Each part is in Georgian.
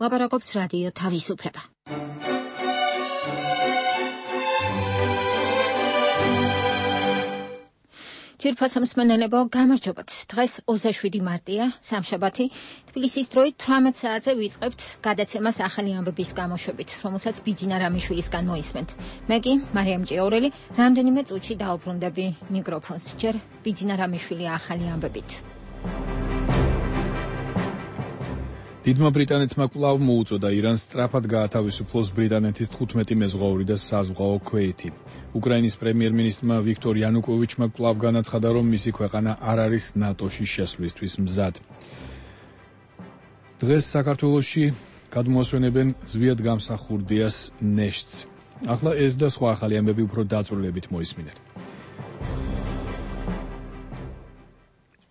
ლაპარაკობს რადიო თავისუფლება. Ძვირფასო მსმენელებო, გამარჯობათ. დღეს 27 მარტია, სამშაბათი. თბილისის დროით 18 საათზე ვიწყებთ გადაცემას ახალი ამბების გამოშვებით, რომელსაც ბიძინა რამიშვილისგან მოისმენთ. მე კი, მარიამ ჭიაურელი, რამდენიმე წუთში დაუბრუნდები მიკროფონს. ჯერ ბიძინა რამიშვილი ახალი ამბებით. დიდმა ბრიტანეთმა კვლავ მოუწოდა ირანს სწრაფად გაათავისუფლოს ბრიტანეთის 15 მეზღვაური და საზღვაო ქვეითი. უკრაინის პრემიერ-მინისტრმა ვიქტორ იანუკოვიჩმა კვლავ განაცხადა, რომ მისი ქვეყანა არ არის ნატოში შესვლისთვის მზად. დღეს საქართველოში გადმოასვენებენ ზვიად გამსახურდიას ნეშტს. ახლა ეს და სხვა ახალი ამბები უფრო დაწვრილებით მოისმინეთ.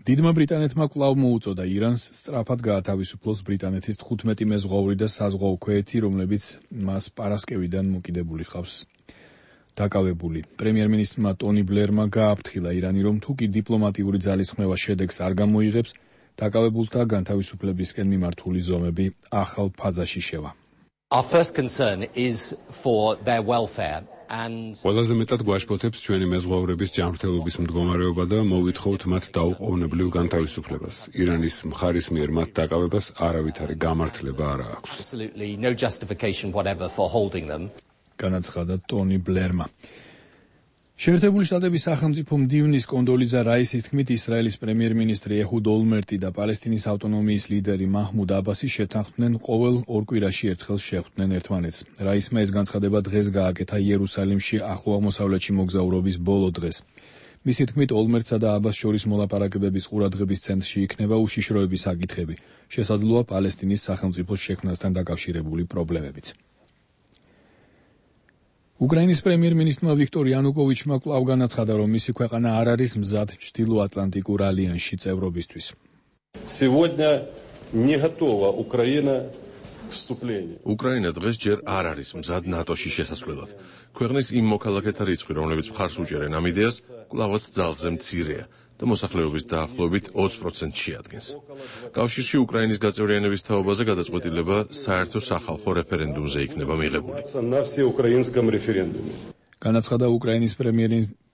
დიდმა ბრიტანეთმა კვლავ მოუწოდა ირანს სწრაფად გაათავისუფლოს ბრიტანეთის 15 მეზღვაური და საზღვაო ქვეითი, რომლებიც მას პარასკევიდან მოკიდებული ხავს. დაკავებული პრემიერ-მინისტრმა ტონი ბლერმა გააფრთხილა ირანი, რომ თუ კი დიპლომატიური ძალისხმევა შედეგს არ გამოიღებს, დაკავებულთა განთავისუფლებისკენ მიმართული ზომები ახალ ფაზაში შევა. Our first concern is for their welfare. ყველაზე მეტად გვაშფოთებს ჩვენი მეზღვაურების ჯანმრთელობის მდგომარეობა და მოვითხოვთ მათ დაუყოვნებლივ განთავისუფლებას. ირანის მხარის მიერ მათ დაკავებას არავითარი გამართლება არ აქვს. განაცხადა ტონი ბლერმა. შეერთებული შტატების სახელმწიფო მდივნის კონდოლიზა რაისის თქმით, ისრაელის პრემიერ-მინისტრი ეჰუდ ოლმერტი და პალესტინის ავტონომიის ლიდერი მაჰმუდ აბასი შეთანხმდნენ ყოველ ორ კვირაში ერთხელ შეხვდნენ ერთმანეთს. რაისმა ეს განცხადება დღეს გააკეთა იერუსალიმში ახლო აღმოსავლეთში მოგზაურობის ბოლო დღეს. მისი თქმით, ოლმერტსა და აბას შორის მოლაპარაკებების ყურადღების ცენტრში იქნება უშიშროების საკითხები, შესაძლოა პალესტინის სახელმწიფოს შექმნასთან დაკავშირებული პრობლემებიც. უკრაინის პრემიერ-მინისტრმა ვიქტორ იანუკოვიჩმა კვლავ განაცხადა, რომ მისი ქვეყანა არ არის მზად ჩრდილო-ატლანტიკურ ალიანსში წევრობისთვის. უკრაინა დღეს ჯერ არ არის მზად ნატოში შესასვლელად. ქვეყნის იმ მოქალაქეთა რიცხვი, რომლებიც მხარს უჭერენ ამ იდეას, კვლავაც ძალზე მცირეა და მოსახლეობის დაახლოებით 20% შეადგენს. კავშირში უკრაინის გაწევრიანების თაობაზე გადაწყვეტილება საერთო სახალხო რეფერენდუმზე იქნება მიღებული. განაცხადა უკრაინის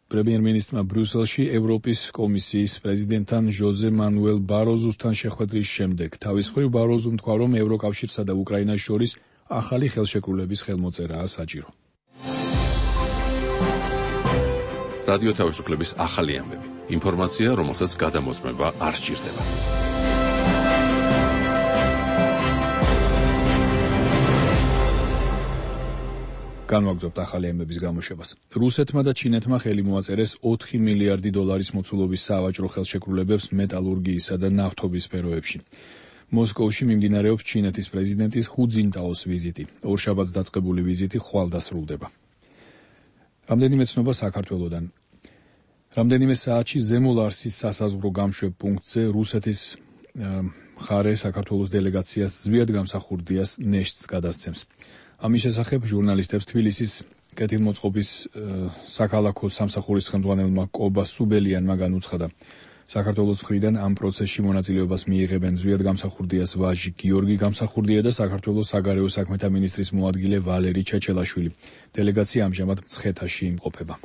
პრემიერ-მინისტრმა ბრიუსელში ევროპის კომისიის პრეზიდენტთან ჟოზე მანუელ ბაროზუსთან შეხვედრის შემდეგ. თავის მხრივ ბაროზუმ თქვა, რომ ევროკავშირსა და უკრაინას შორის ახალი ხელშეკრულების ხელმოწერაა საჭირო. რადიო თავისუფლების ახალი ამბები. ინფორმაცია, რომელსაც გადამოწმება არ სჭირდება. განვაგრძობთ ახალი ამბების გამოშვებას. რუსეთმა და ჩინეთმა ხელი მოაწერეს 4 მილიარდი დოლარის მოცულობის სავაჭრო ხელშეკრულებებს მეტალურგიისა და ნავთობის სფეროებში. მოსკოვში მიმდინარეობს ჩინეთის პრეზიდენტის ჰუ ძინტაოს ვიზიტი. ორშაბათს დაწყებული ვიზიტი ხვალ დასრულდება. რამდენიმე ცნობა საქართველოდან. რამდენიმე საათში ზემო ლარსის სასაზღვრო გამშვებ პუნქტზე რუსეთის მხარე საქართველოს დელეგაციას ზვიად გამსახურდიას ნეშტს გადასცემს. ამის შესახებ ჟურნალისტებს თბილისის კეთილმოწყობის საქალაქო სამსახურის ხელმძღვანელმა კობა სუბელიანმა განუცხადა. საქართველოს მხრიდან ამ პროცესში მონაწილეობას მიიღებენ ზვიად გამსახურდიას ვაჟი გიორგი გამსახურდია და საქართველოს საგარეო საქმეთა მინისტრის მოადგილე ვალერი ჩეჩელაშვილი. დელეგაცია ამჟამად მცხეთაში იმყოფება.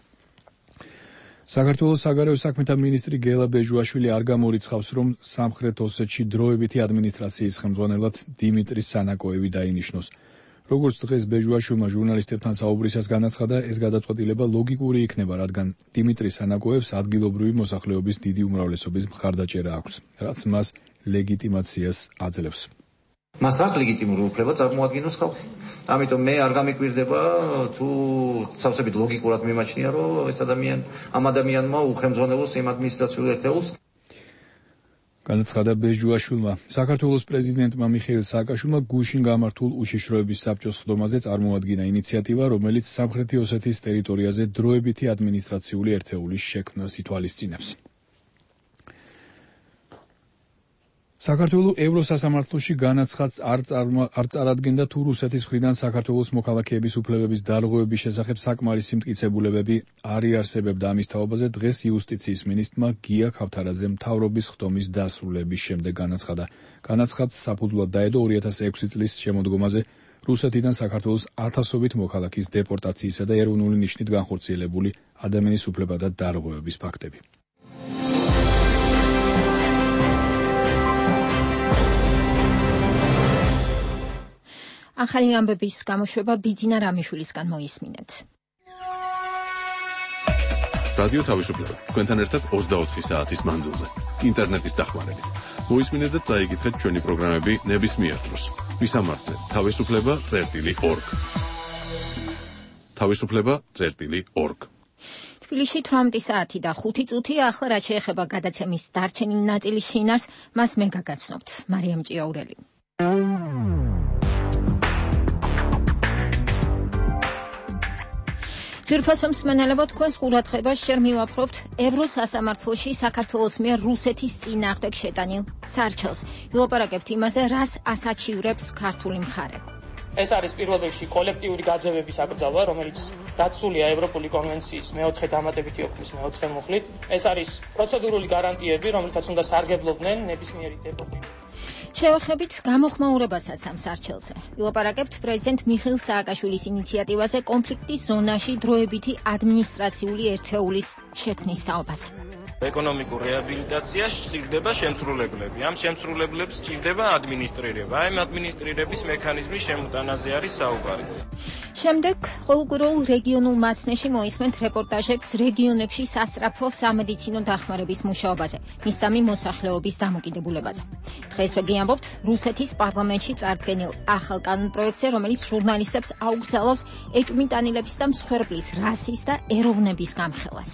საქართველოს საგარეო საქმეთა მინისტრი გელა ბეჟუაშვილი არ გამორიცხავს, რომ სამხრეთ ოსეთში დროებითი ადმინისტრაციის ხელმძღვანელად დიმიტრი სანაკოევი დაინიშნოს. როგორც დღეს ბეჟუაშვილმა ჟურნალისტებთან საუბრისას განაცხადა, ეს გადაწყვეტილება ლოგიკური იქნება, რადგან დიმიტრი სანაკოევს ადგილობრივი მოსახლეობის დიდი უმრავლესობის მხარდაჭერა აქვს, რაც მას ლეგიტიმაციას აძლევს. მას აქვს ლეგიტიმური უფლება წარმოადგინოს ხალხი. ამიტომ მე არ გამიკვირდება თუ სავსებით ლოგიკურად მიმაჩნია, რომ ეს ამ ადამიანმა უხელმძღვანელოს იმ ადმინისტრაციულ ერთეულს. განაცხადა ბეჟუაშვილმა. საქართველოს პრეზიდენტმა მიხეილ სააკაშვილმა გუშინ გამართულ უშიშროების საბჭოს ხდომაზე წარმოადგინა ინიციატივა, რომელიც სამხრეთი ოსეთის ტერიტორიაზე დროებითი ადმინისტრაციული ერთეულის შექმნას ითვალისწინებს. საქართველოს ევროსასამართლოში განაცხადს არ წარადგენდა თუ რუსეთის მხრიდან საქართველოს მოქალაქეების უფლებების დარღვევების შესახებ საკმარისი მტკიცებულებები არ იარსებებდა. ამის თაობაზე დღეს იუსტიციის მინისტრმა გია ქავთარაძემ მთავრობის ხდომის დასრულების შემდეგ განაცხადა. განაცხადს საფუძვლად დაედო 2006 წლის შემოდგომაზე რუსეთიდან საქართველოს ათასობით მოქალაქის დეპორტაციისა და ეროვნული ნიშნით განხორციელებული ადამიანის უფლებათა დარღვევების ფაქტები. ახალი ამბების გამოშვება ბიძინა რამიშვილისგან მოისმინეთ. რადიო თავისუფლება თქვენთან ერთად 24 საათის მანძილზე ინტერნეტის დახმარებით. მოისმინეთ და წაიკითხეთ ჩვენი პროგრამები ნებისმიერ დროს. მისამართზე თავისუფლება.org. თავისუფლება.org. თბილისში 18 საათი და 5 წუთია. ახლა რაც შეეხება გადაცემის დარჩენილ ნაწილის შინარს, მას მე გაგაცნობთ. მარიამ ჭიაურელი. ძვირფასო მსმენელებო, თქვენს ყურადღებას შენ მივაფრობთ ევროსასამართლოში საქართველოს მიერ რუსეთის წინააღმდეგ შეტანილ სარჩელს. ვილაპარაკებთ იმაზე, რას ასაჩივრებს ქართული მხარე. ეს არის პირველ რიგში კოლექტიური გაძევების აკრძალვა, რომელიც დაცულია ევროპული კონვენციის მეოთხე დამატებითი ოქმის მეოთხე მუხლით. ეს არის პროცედურული გარანტიები, რომელთაც უნდა სარგებლობდნენ ნებისმიერი დეპორტირებული. შევეხებით გამოხმაურებასაც ამ სარჩელზე. ვილაპარაკებთ პრეზიდენტ მიხეილ სააკაშვილის ინიციატივაზე კონფლიქტის ზონაში დროებითი ადმინისტრაციული ერთეულის შექმნის თაობაზე. ეკონომიკურ რეაბილიტაციაში სჭირდება შემსრულებლები. ამ შემსრულებლებს სჭირდება ადმინისტრირება. ამ ადმინისტრირების მექანიზმის შემოტანაზე არის საუბარი. შემდეგ ყოველკვირეულ რეგიონულ მაცნეში მოისმენთ რეპორტაჟებს რეგიონებში სასწრაფო სამედიცინო დახმარების მუშაობაზე, მისდამი მოსახლეობის დამოკიდებულებაზე. დღეს ვეგიამბობთ რუსეთის პარლამენტში წარდგენილ ახალ კანონპროექტზე, რომელიც ჟურნალისტებს აუგზავნებს ეჭვმიტანილების და მსხვერპლის რასის და ეროვნების გამხელას.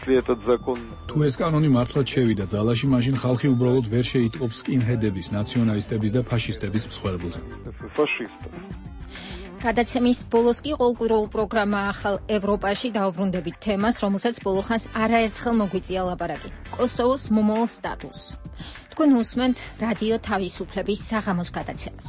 თუ ეს კანონი მართლაც შევიდა ძალაში, მაშინ ხალხი უბრალოდ ვერ შეიტყობს სკინჰედების, ნაციონალისტების და ფაშისტების მსხვერპლზე. გადაცემის ბოლოს კი ყოველკვირეულ პროგრამა ახალ ევროპაში დაუბრუნდებით თემას, რომელსაც ბოლოხანს არაერთხელ მოგვიწია ლაპარაკი. კოსოვოს მომავალ სტატუსს. თქვენ უსმენთ რადიო თავისუფლების საღამოს გადაცემას.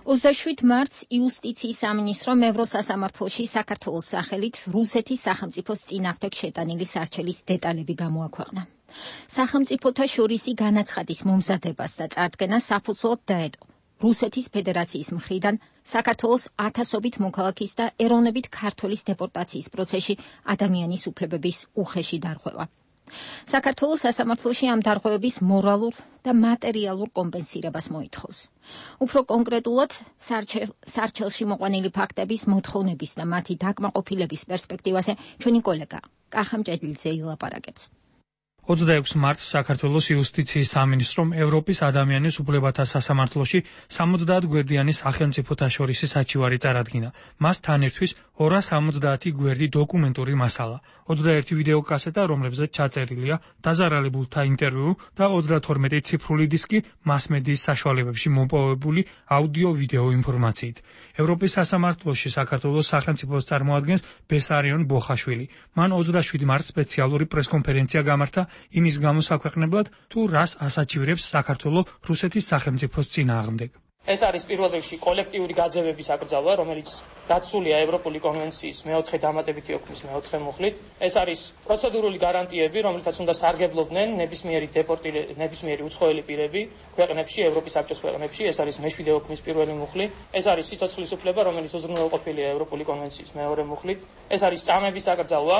27 მარტს იუსტიციის სამინისტრომ ევროსასამართლოში საქართველოს სახელით რუსეთის სახელმწიფოს წინააღმდეგ შეტანილი სარჩელის დეტალები გამოაქვეყნა. სახელმწიფოთა შორისი განაცხადის მომზადებას და წარდგენას საფუძვლად დაედო რუსეთის ფედერაციის მხრიდან საქართველოს ათასობით მოქალაქის და ეროვნებით ქართველის დეპორტაციის პროცესში ადამიანის უფლებების უხეში დარღვევა. საქართველოს სასამართლოში ამ დარღვევების მორალურ და მატერიალურ კომპენსირებას მოითხოვს. უფრო კონკრეტულად, სარჩელში მოყვანილი ფაქტების მოთხოვნების და მათი დაკმაყოფილების პერსპექტივაზე ჩვენი კოლეგა კახა მჭედლიძე ილაპარაკებს. 26 მარტს საქართველოს იუსტიციის სამინისტრომ ევროპის ადამიანის უფლებათა სასამართლოში 70 გვერდიანი სახელმწიფოთა შორისი საჩივარი წარადგინა. მას თან ერთვის 270 გვერდი დოკუმენტური მასალა, 21 ვიდეო კასეტა, რომლებზეც ჩაწერილია დაზარალებულთა ინტერვიუ და 32 ციფრული დისკი მასმედიის საშუალებებში მოპოვებული აუდიო-ვიდეო ინფორმაციით. ევროპის სასამართლოში საქართველოს სახელმწიფოს წარმოადგენს ბესარიონ ბოხაშვილი. მან 27 მარტს სპეციალური პრესკონფერენცია გამართა იმის გამოსაქვეყნებლად, თუ რას ასაჩივრებს საქართველოს რუსეთის სახელმწიფოს წინააღმდეგ. ეს არის პირველ რიგში კოლექტიური გაძევების აკრძალვა, რომელიც დაცულია ევროპული კონვენციის მეოთხე დამატებითი ოქმის მეოთხე მუხლით. ეს არის პროცედურული გარანტიები, რომელთაც უნდა სარგებლობდნენ ნებისმიერი უცხოელი პირები ქვეყნებში, ევროპის საბჭოს ქვეყნებში. ეს არის მეშვიდე ოქმის პირველი მუხლი. ეს არის სიცოცხლის უფლება, რომელიც უზრუნველყოფილია ევროპული კონვენციის მეორე მუხლით. ეს არის წამების აკრძალვა,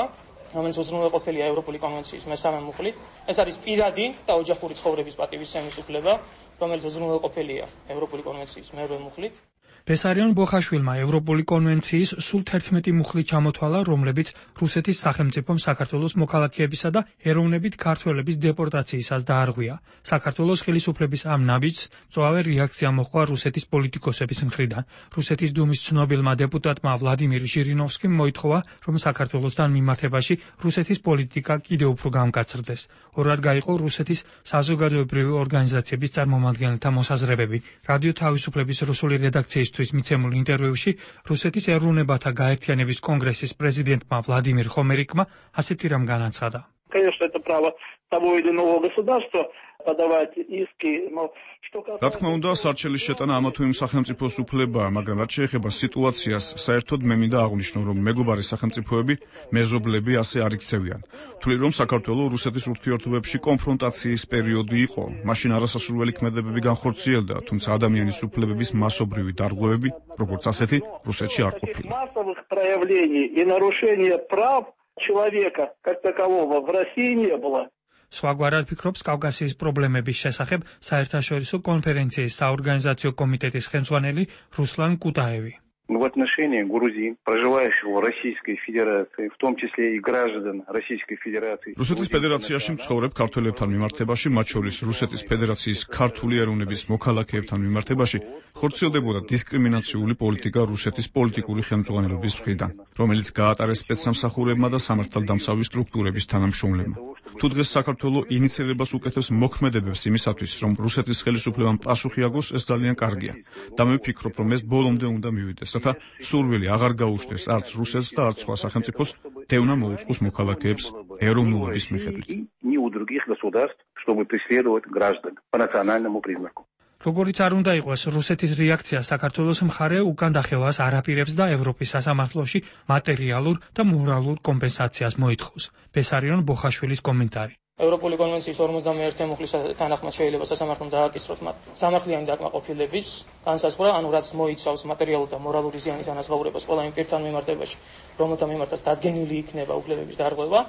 რომელიც უზრუნველყოფილია ევროპული კონვენციის მესამე მუხლით. ეს არის პირადი და ოჯახური ცხოვრების პატივისცემის უფლება, რომელიც უზრუნველყოფილია ევროპული კონვენციის მერვე მუხლით. ბესარიონ ბოხაშვილმა ევროპული კონვენციის სულ 11 მუხლი ჩამოთვალა, რომლებიც რუსეთის სახელმწიფომ საქართველოს მოქალაქეებისა და ეროვნებით ქართველების დეპორტაციისას დაარღვია. საქართველოს ხელისუფლების ამ ნაბიჯს მწვავე რეაქცია მოჰყვა რუსეთის პოლიტიკოსების მხრიდან. რუსეთის დუმის ცნობილმა დეპუტატმა ვლადიმირ ჟირინოვსკიმ მოითხოვა, რომ საქართველოსთან მიმართებაში რუსეთის პოლიტიკა კიდევ უფრო გამკაცრდეს. ორად გაიყო რუსეთის საზოგადოებრივი ორგანიზაციების წარმომადგენელთა მოსაზრებები. რადიო თავისუფლების რუსული რედაქციის ინფორმაცისთვის მიცემულ ინტერვიუში რუსეთის ეროვნებათა გაერთიანების კონგრესის პრეზიდენტმა ვლადიმირ ხომერიკმა ასეთი რამ განაცხადა. Конечно, это право того или иного государства подавать иски, но что касается... Რა თქმა უნდა, სარჩელის შეტანა ამა თუ იმ სახელმწიფოს უფლებაა, მაგრამ რაც შეეხება სიტუაციას, საერთოდ მე მინდა აღვნიშნო, რომ მეგობარი სახელმწიფოები, მეზობლები ასე არ იქცევიან. თვლი რომ საქართველოს რუსეთის ურთიერთობებში კონფრონტაციის პერიოდი იყო, მაშინ არასასურველი ქმედებები განხორციელდა, თუმცა ადამიანის უფლებების მასობრივი დარღვევები, როგორც ასეთი, რუსეთში არ ყოფილა. Массовых проявлений и нарушения прав человека как такового в России не было. სხვაგვარად ფიქრობს კავკასიის პრობლემების შესახებ საერთაშორისო კონფერენციის საორგანიზაციო კომიტეტის ხელმძღვანელი რუსლან კუტაევი. В отношении Грузии, проживающих в Российской Федерации, в том числе и граждан Российской Федерации. რუსეთის ფედერაციაში მცხოვრებ ქართველებთან მიმართებაში, მათ შორის რუსეთის ფედერაციის ქართული ეროვნების მოქალაქეებთან მიმართებაში, ხორციელდებოდა დისკრიმინაციული პოლიტიკა რუსეთის პოლიტიკური ხელმძღვანელობის მხრიდან, რომელიც გაატარეს სპეცსამსახურებმა და სამართალდამცავი სტრუქტურების თანამშრომლებმა. თუ დღეს საქართველოს ინიციირებას უკეთებს მოქმედებებს იმისათვის, რომ რუსეთის ხელისუფლებამ პასუხი აგოს, ეს ძალიან კარგია. და მე ვფიქრობ, რომ ეს ბოლომდე უნდა მივიდეს, რათა სურვილი აღარ გაუშვდეს არც რუსეთს და არც სხვა სახელმწიფოს დევნა მოუწყოს მოქალაქეებს ეროვნულობის მიხედვით. Ни у других государств, чтобы преследовать граждан по национальному признаку. Როგორიც არ უნდა იყოს, რუსეთის რეაქცია საქართველოს მხარე უკან დახევას არ აპირებს და ევროპის სასამართლოში მატერიალურ და მორალურ კომპენსაციას მოითხოვს. ბესარიონ ბოხაშვილის კომენტარი. ევროპული კონვენციის 51 მუხლის თანახმად შეიძლება სასამართლომ დააკისროს მათ სამართლიანი დაკმაყოფილების განსაზღვრა, ანუ რაც მოიცავს მატერიალურ და მორალური ზიანის ანაზღაურებას ყველა იმ პირთან მიმართებაში, რომელთა მიმართაც დადგენილი იქნება უფლებების დარღვევა,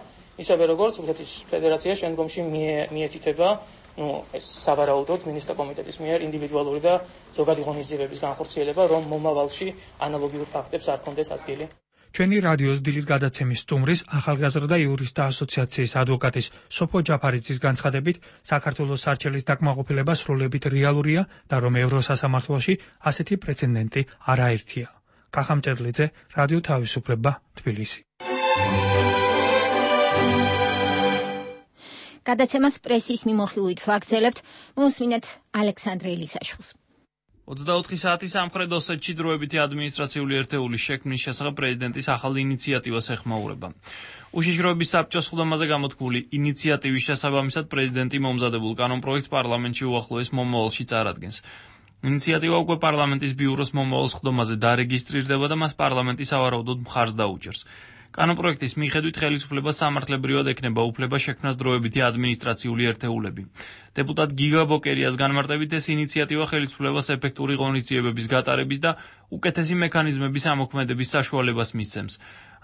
ისევე როგორც რუსეთის ფედერაცია შემდგომში მიეთითება ეს სავარაუდოდ მინისტრთა კომიტეტის მიერ ინდივიდუალური და ზოგადი ღონისძიებების განხორციელება, რომ მომავალში ანალოგიურ ფაქტებს არ კონდეს ადგილი. ჩვენი რადიოს დილის გადაცემის სტუმრის ახალგაზრდა იურისტთა ასოციაციის ადვოკატის სოფო ჯაფარიძის განცხადებით, საქართველოს სარჩელის დაკმაყოფილება სრულებით რეალურია და რომ ევროსასამართლოში ასეთი პრეცედენტი არაერთია. კახა მჭედლიძე, რადიო თავისუფლება, თბილისი. გადაცემას პრესის მიმოხილვით ვაგრძელებთ, მოусმინეთ ალექსანდრე ელისაშვილს. 24 საათის სამხრეთ ოსეთში დროებითი ადმინისტრაციული ერთეულის შექმნის შესახებ პრეზიდენტის ახალი ინიციატივას ეხმაურება. უშიშროების საბჭოს სხდომაზე გამოთქმული ინიციატივის შესაბამისად პრეზიდენტი მომზადებულ კანონპროექტს პარლამენტში უახლოეს მომავალში წარადგენს. ინიციატივა უკვე პარლამენტის ბიუროს მომავალ სხდომაზე დარეგისტრირდება და მას პარლამენტი სავარაუდოდ მხარს დაუჭერს. კანონპროექტის მიხედვით ხელისუფლებას სამართლებრივად ექნება უფლება შექმნას დროებითი ადმინისტრაციული ერთეულები. დეპუტატ გიგა ბოკერიას განმარტებით ეს ინიციატივა ხელისუფლებას ეფექტური ღონისძიებების გატარების და უკეთესი მექანიზმების ამოქმედების საშუალებას მისცემს.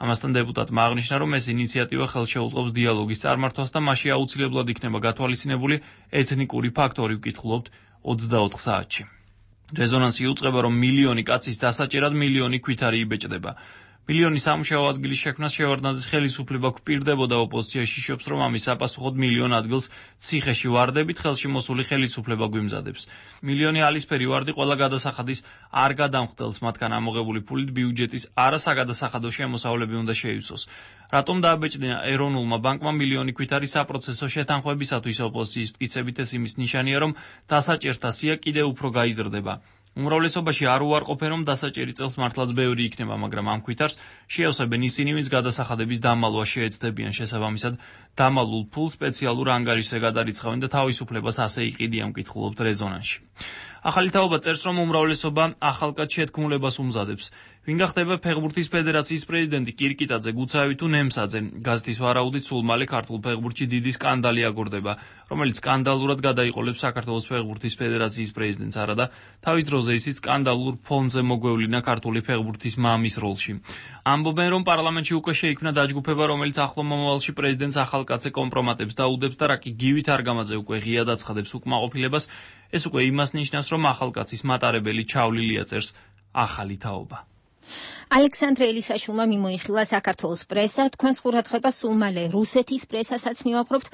ამასთან დეპუტატმა აღნიშნა, რომ ეს ინიციატივა ხელშეუწყობს დიალოგის წარმართვას და მასში აუცილებლად იქნება გათვალისწინებული ეთნიკური ფაქტორი, ვკითხულობთ 24 საათში. რეზონანსი იუწყება, რომ მილიონი კაცის დასაჭერად მილიონი ქვითარი იბეჭდება. მილიონი სამუშაო ადგილის შექმნას შევარდნაძის ხელისუფლება გვპირდებოდა, ოპოზიციაში შობს, რომ ამის საპასუხოდ მილიონ ადგილს ციხეში ვარდებით ხელში მოსული ხელისუფლება გვიმზადებს. მილიონი ალისფერი ვარდი ყველა გადასახადის არ გადამხდელს მათგან ამოღებული ფულით ბიუჯეტის არასაგადასახადო შემოსავლები უნდა შეივსოს. რატომ დააბეჭდინა ეროვნულმა ბანკმა მილიონი ქვითარი საპროცესო შეთანხმებისათვის ოპოზიციის მტკიცებით ეს იმის ნიშანია, რომ დასაჭერთა სია კიდევ უფრო გაიზრდება. უმრავლესობაში არ უარყოფენ, რომ დასაჭერი წელს მართლაც ბევრი იქნება, მაგრამ ამ ქვითარს შეავსებენ ისინი, ვინც გადასახადების დამალვა შეეცდებიან, შესაბამისად დამალულ ფულს სპეციალურ ანგარიშზე გადარიცხავენ და თავისუფლებას ასე იყიდიან, ვკითხულობთ რეზონანსში. ახალი თაობა წერს, რომ უმრავლესობა ახალკაც შეთქმულებას უმზადებს. ვინ გახდება ფეხბურთის ფედერაციის პრეზიდენტი კირკიტაძე, გუცაევი თუ ნემსაძე? გაზეთის ვარაუდით სულ მალე ქართულ ფეხბურთში დიდი სკანდალი აგორდება, რომელიც სკანდალურად გადაიყოლებს საქართველოს ფეხბურთის ფედერაციის პრეზიდენტს, არადა თავის დროზე ისიც სკანდალურ ფონზე მოგვევლინა ქართული ფეხბურთის მამის როლში. ამბობენ, რომ პარლამენტში უკვე შეიქმნა დაჯგუფება, რომელიც ახლო მომავალში პრეზიდენტს ახალკაცზე კომპრომატებს დაუდებს და რაკი გივით არგამაძე უკვე ღიად აცხადებს უკმაყოფილებას, ეს უკვე იმას ნიშნავს, რომ ახალკაცის მატარებელი ჩავლილია წერს ახალი თაობა. ალექსანდრე ელისაშვილმა მიმოიხილა საქართველოს პრესა, თქვენს ყურადღებას სულ მალე რუსეთის პრესასაც მივაყრობთ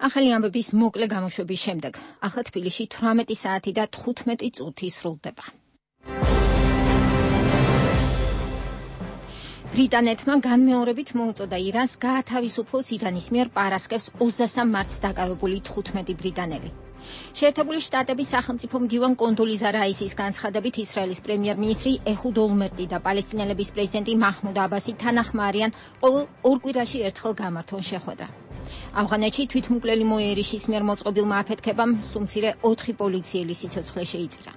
ახალი ამბების მოკლე გამოშვების შემდეგ. ახლა თბილისში 18 საათი და 15 წუთი სრულდება. ბრიტანეთმა განმეორებით მოუწოდა ირანს გაათავისუფლოს ირანის მიერ პარასკევს 23 მარტს დაკავებული 15 ბრიტანელი. შეერთებული შტატების სახელმწიფო მდივან კონდოლიზა რაისის განცხადებით ისრაელის პრემიერ-მინისტრი ეჰუდ ოლმერტი და პალესტინელების პრეზიდენტი მაჰმუდ აბასი თანახმარიან ყოველ 2 კვირაში ერთხელ გამართონ შეხვედრა. ავღანეთში თვითმკვლელი მოიერიშის მიერ მოწყობილმა აფეთქებამ სუმცირე 4 პოლიციელი სიცოცხლე შეიწირა.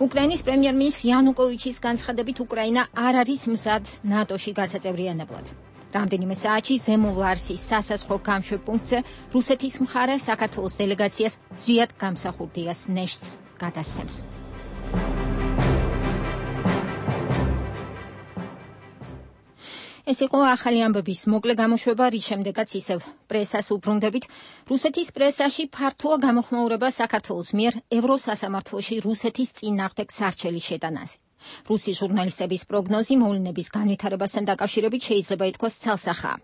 უკრაინის პრემიერ-მინისტრი იანუკოვიჩის განცხადებით უკრაინა არ არის მზად ნატოში გასაწევრიანებლად. რამდენიმე საათში ზემო ლარსის სასაზღვრო გამშვებ პუნქტზე რუსეთის მხარე საქართველოს დელეგაციას ზვიად გამსახურდიას ნეშტს გადასცემს. ეს იყო ახალი ამბების მოკლე გამოშვება, რის შემდეგაც ისევ პრესას უბრუნდებით. რუსეთის პრესაში ფართოა გამოხმაურება საქართველოს მიერ ევროსასამართლოში რუსეთის წინააღმდეგ სარჩელი შეტანაზე. რუსი ჟურნალისტების პროგნოზი მოვლენების განვითარებასთან დაკავშირებით შეიძლება ითქვას ცალსახაა.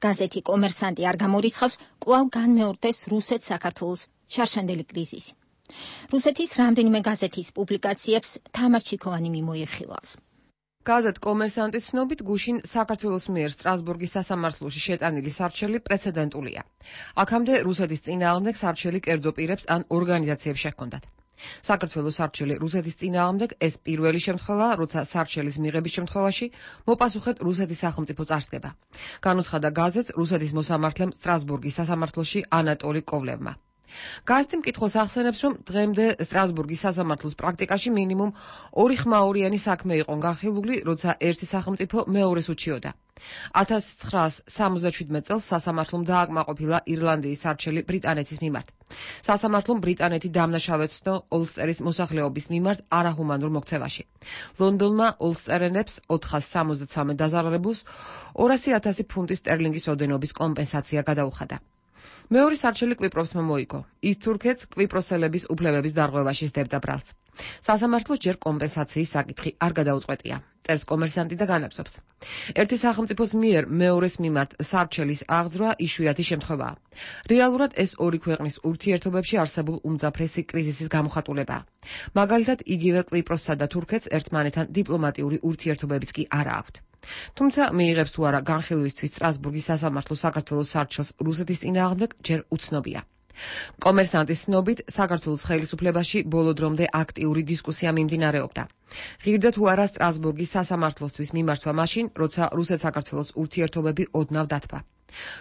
გაზეთი კომერსანტი არ გამორიცხავს, კვლავ განმეორდეს რუსეთ-საქართველოს შარშანდელი კრიზისი. რუსეთის რამდენიმე გაზეთის პუბლიკაციებს თამარ ჩიქოვანი მიმოიხილავს. გაზეთ კომერსანტის ცნობით გუშინ საქართველოს მიერ სტრასბურგის სასამართლოში შეტანილი სარჩელი პრეცედენტულია. აქამდე რუსეთის წინააღმდეგ სარჩელი კერძო პირებს ან ორგანიზაციებს შეჰქონდათ. საქართველოს სარჩელი რუსეთის წინააღმდეგ ეს პირველი შემთხვევაა, როცა სარჩელის მიღების შემთხვევაში მოპასუხეთ რუსეთის სახელმწიფო წარსდგება. განუცხადა გაზეთს რუსეთის მოსამართლემ სტრასბურგის სასამართლოში ანატოლი კოვლევმა. გაზეთი მკითხველს ახსენებს, რომ დღემდე სტრასბურგის სასამართლოს პრაქტიკაში მინიმუმ 2 ხმაურიანი საქმე იყო განხილული, როცა ერთი სახელმწიფო მეორეს უჩიოდა. 1977 წელს სასამართლომ დააკმაყოფილა ირლანდიის სარჩელი ბრიტანეთის მიმართ. სასამართლომ ბრიტანეთი დამნაშავეცნო ოლსტერის მოსახლეობის მიმართ არაჰუმანურ მოქცევაში. ლონდონმა ოლსტერენებს 473 დაზარალებულს 200,000 ფუნტის სტერლინგის ოდენობის კომპენსაცია გადაუხადა. მეორე სარჩელი კვიპროსმა მოიგო. ის თურქეთს კვიპროსელების უფლებების დარღვევაში სდებდა ბრალს. სასამართლოს ჯერ კომპენსაციის საკითხი არ გადაუწყვეტია. წერს კომერსანტი და განაგზობს. ერთი სახელმწიფოს მიერ მეორეს მიმართ სარჩელის აღძრვა იშვიათი შემთხვევაა. რეალურად ეს ორი ქვეყნის ურთიერთობებში არსებულ უმძაფრესი კრიზისის გამოხატულებაა. მაგალითად, იგივე კვიპროსსა და თურქეთს ერთმანეთთან დიპლომატიური ურთიერთობებიც კი არა აქვთ. თუმცა მიიღებს თუ არა განხილვისთვის სტრასბურგის სასამართლო საქართველოს სარჩელს რუსეთის წინააღმდეგ ჯერ უცნობია. კომერსანტის ცნობით, საქართველოს ხელისუფლებაში ბოლო დრომდე აქტიური დისკუსია მიმდინარეობდა. ღირდა თუ არა სტრასბურგის სასამართლოსთვის მიმართვა მაშინ, როცა რუსეთ-საქართველოს ურთიერთობები ოდნავ დათბა.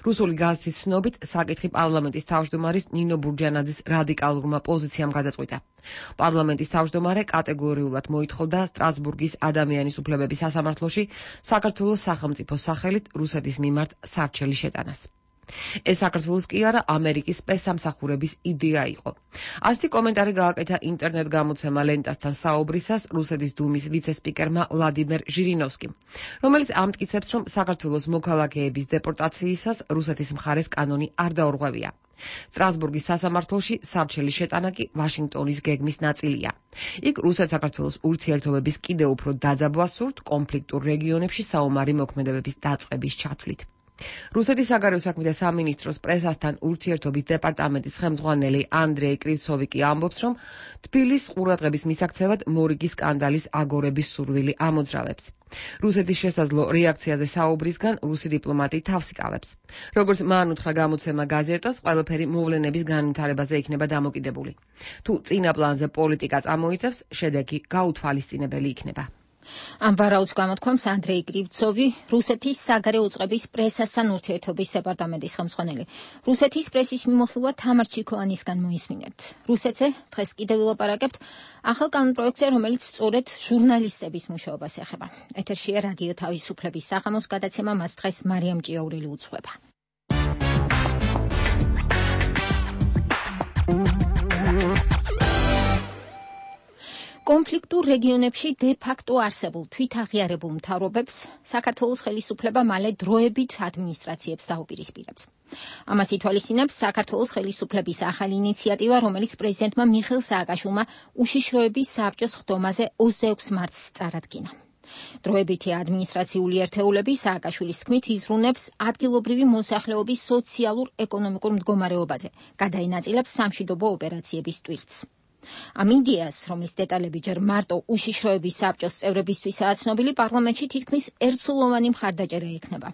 რუსული გაზეთის ცნობით, საკითხი პარლამენტის თავმჯდომარის ნინო ბურჯანაძის რადიკალურმა პოზიციამ გადაწყვიტა. პარლამენტის თავმჯდომარე კატეგორიულად მოითხოვდა სტრასბურგის ადამიანის უფლებების სასამართლოში საქართველოს სახელმწიფო სახელით რუსეთის მიმართ სარჩელი შეტანას. ეს საქართველოს კი არა, ამერიკის სპეცსამსახურების იდეა იყო. ასეთი კომენტარი გააკეთა ინტერნეტ გამოცემა ლენტასთან საუბრისას რუსეთის დუმის ვიცე-სპიკერმა ვლადიმერ ჟირინოვსკიმ, რომელიც ამტკიცებს, რომ საქართველოს მოქალაქეების დეპორტაციისას რუსეთის მხარეს კანონი არ დაურღვევია. სტრასბურგის სასამართლოში სარჩელის შეტანა კი ვაშინგტონის გეგმის ნაწილია. იქ რუსეთ-საქართველოს ურთიერთობების კიდევ უფრო დაძაბვას სურთ კონფლიქტურ რეგიონებში საომარი მოქმედებების დაწყების ჩათვლით. რუსეთის საგარეო საქმეთა სამინისტროს პრესასთან ურთიერთობის დეპარტამენტის ხელმძღვანელი ანდრეი კრივცოვი კი ამბობს, რომ თბილისის ყურადღების მისაქცევად მორიგის სკანდალის აგორების სურვილი ამოძრავებს. რუსეთის შესაძლო რეაქციაზე საუბრისგან რუსი დიპლომატი თავს იკავებს. როგორც მან უთხრა გამოცემა გაზეტას, ყველაფერი მოვლენების განვითარებაზე იქნება დამოკიდებული. თუ წინა პლანზე პოლიტიკა წამოიწევს, შედეგი გაუთვალისწინებელი იქნება. ამ ვარაუდს გამოთქვამს ანდრეი კრივცოვი, რუსეთის საგარეო უწყების პრესასთან ურთიერთობის დეპარტამენტის ხელმძღვანელი. რუსეთის პრესის მიმოხილვა თამარ ჩიქოვანისგან მოისმინეთ. რუსეთზე დღეს კიდევ ვილაპარაკებთ ახალ კანონპროექტზე, რომელიც სწორედ ჟურნალისტების მუშაობას ეხება. ეთერშია რადიო თავისუფლების საღამოს გადაცემა, მას დღეს მარიამ ჭიაურელი უძღვება. კონფლიქტურ რეგიონებში დე-ფაქტო არსებულ თვითაღიარებულ მთავრობებს საქართველოს ხელისუფლება მალე დროებით ადმინისტრაციებს დაუპირისპირებს. ამას ითვალისწინებს საქართველოს ხელისუფლების ახალი ინიციატივა, რომელიც პრეზიდენტმა მიხეილ სააკაშვილმა უშიშროების საბჭოს ხდომაზე 26 მარტს წარადგინა. დროებითი ადმინისტრაციული ერთეულები სააკაშვილის თქმით იზრუნებს ადგილობრივი მოსახლეობის სოციალურ-ეკონომიკურ მდგომარეობაზე, გადაინაწილებს სამშვიდობო ოპერაციების ტვირთს. ამ იდეას, რომლის დეტალები ჯერ მარტო უშიშროების საბჭოს წევრებისთვისაა ცნობილი, პარლამენტში თითქმის ერთსულოვანი მხარდაჭერა ექნება.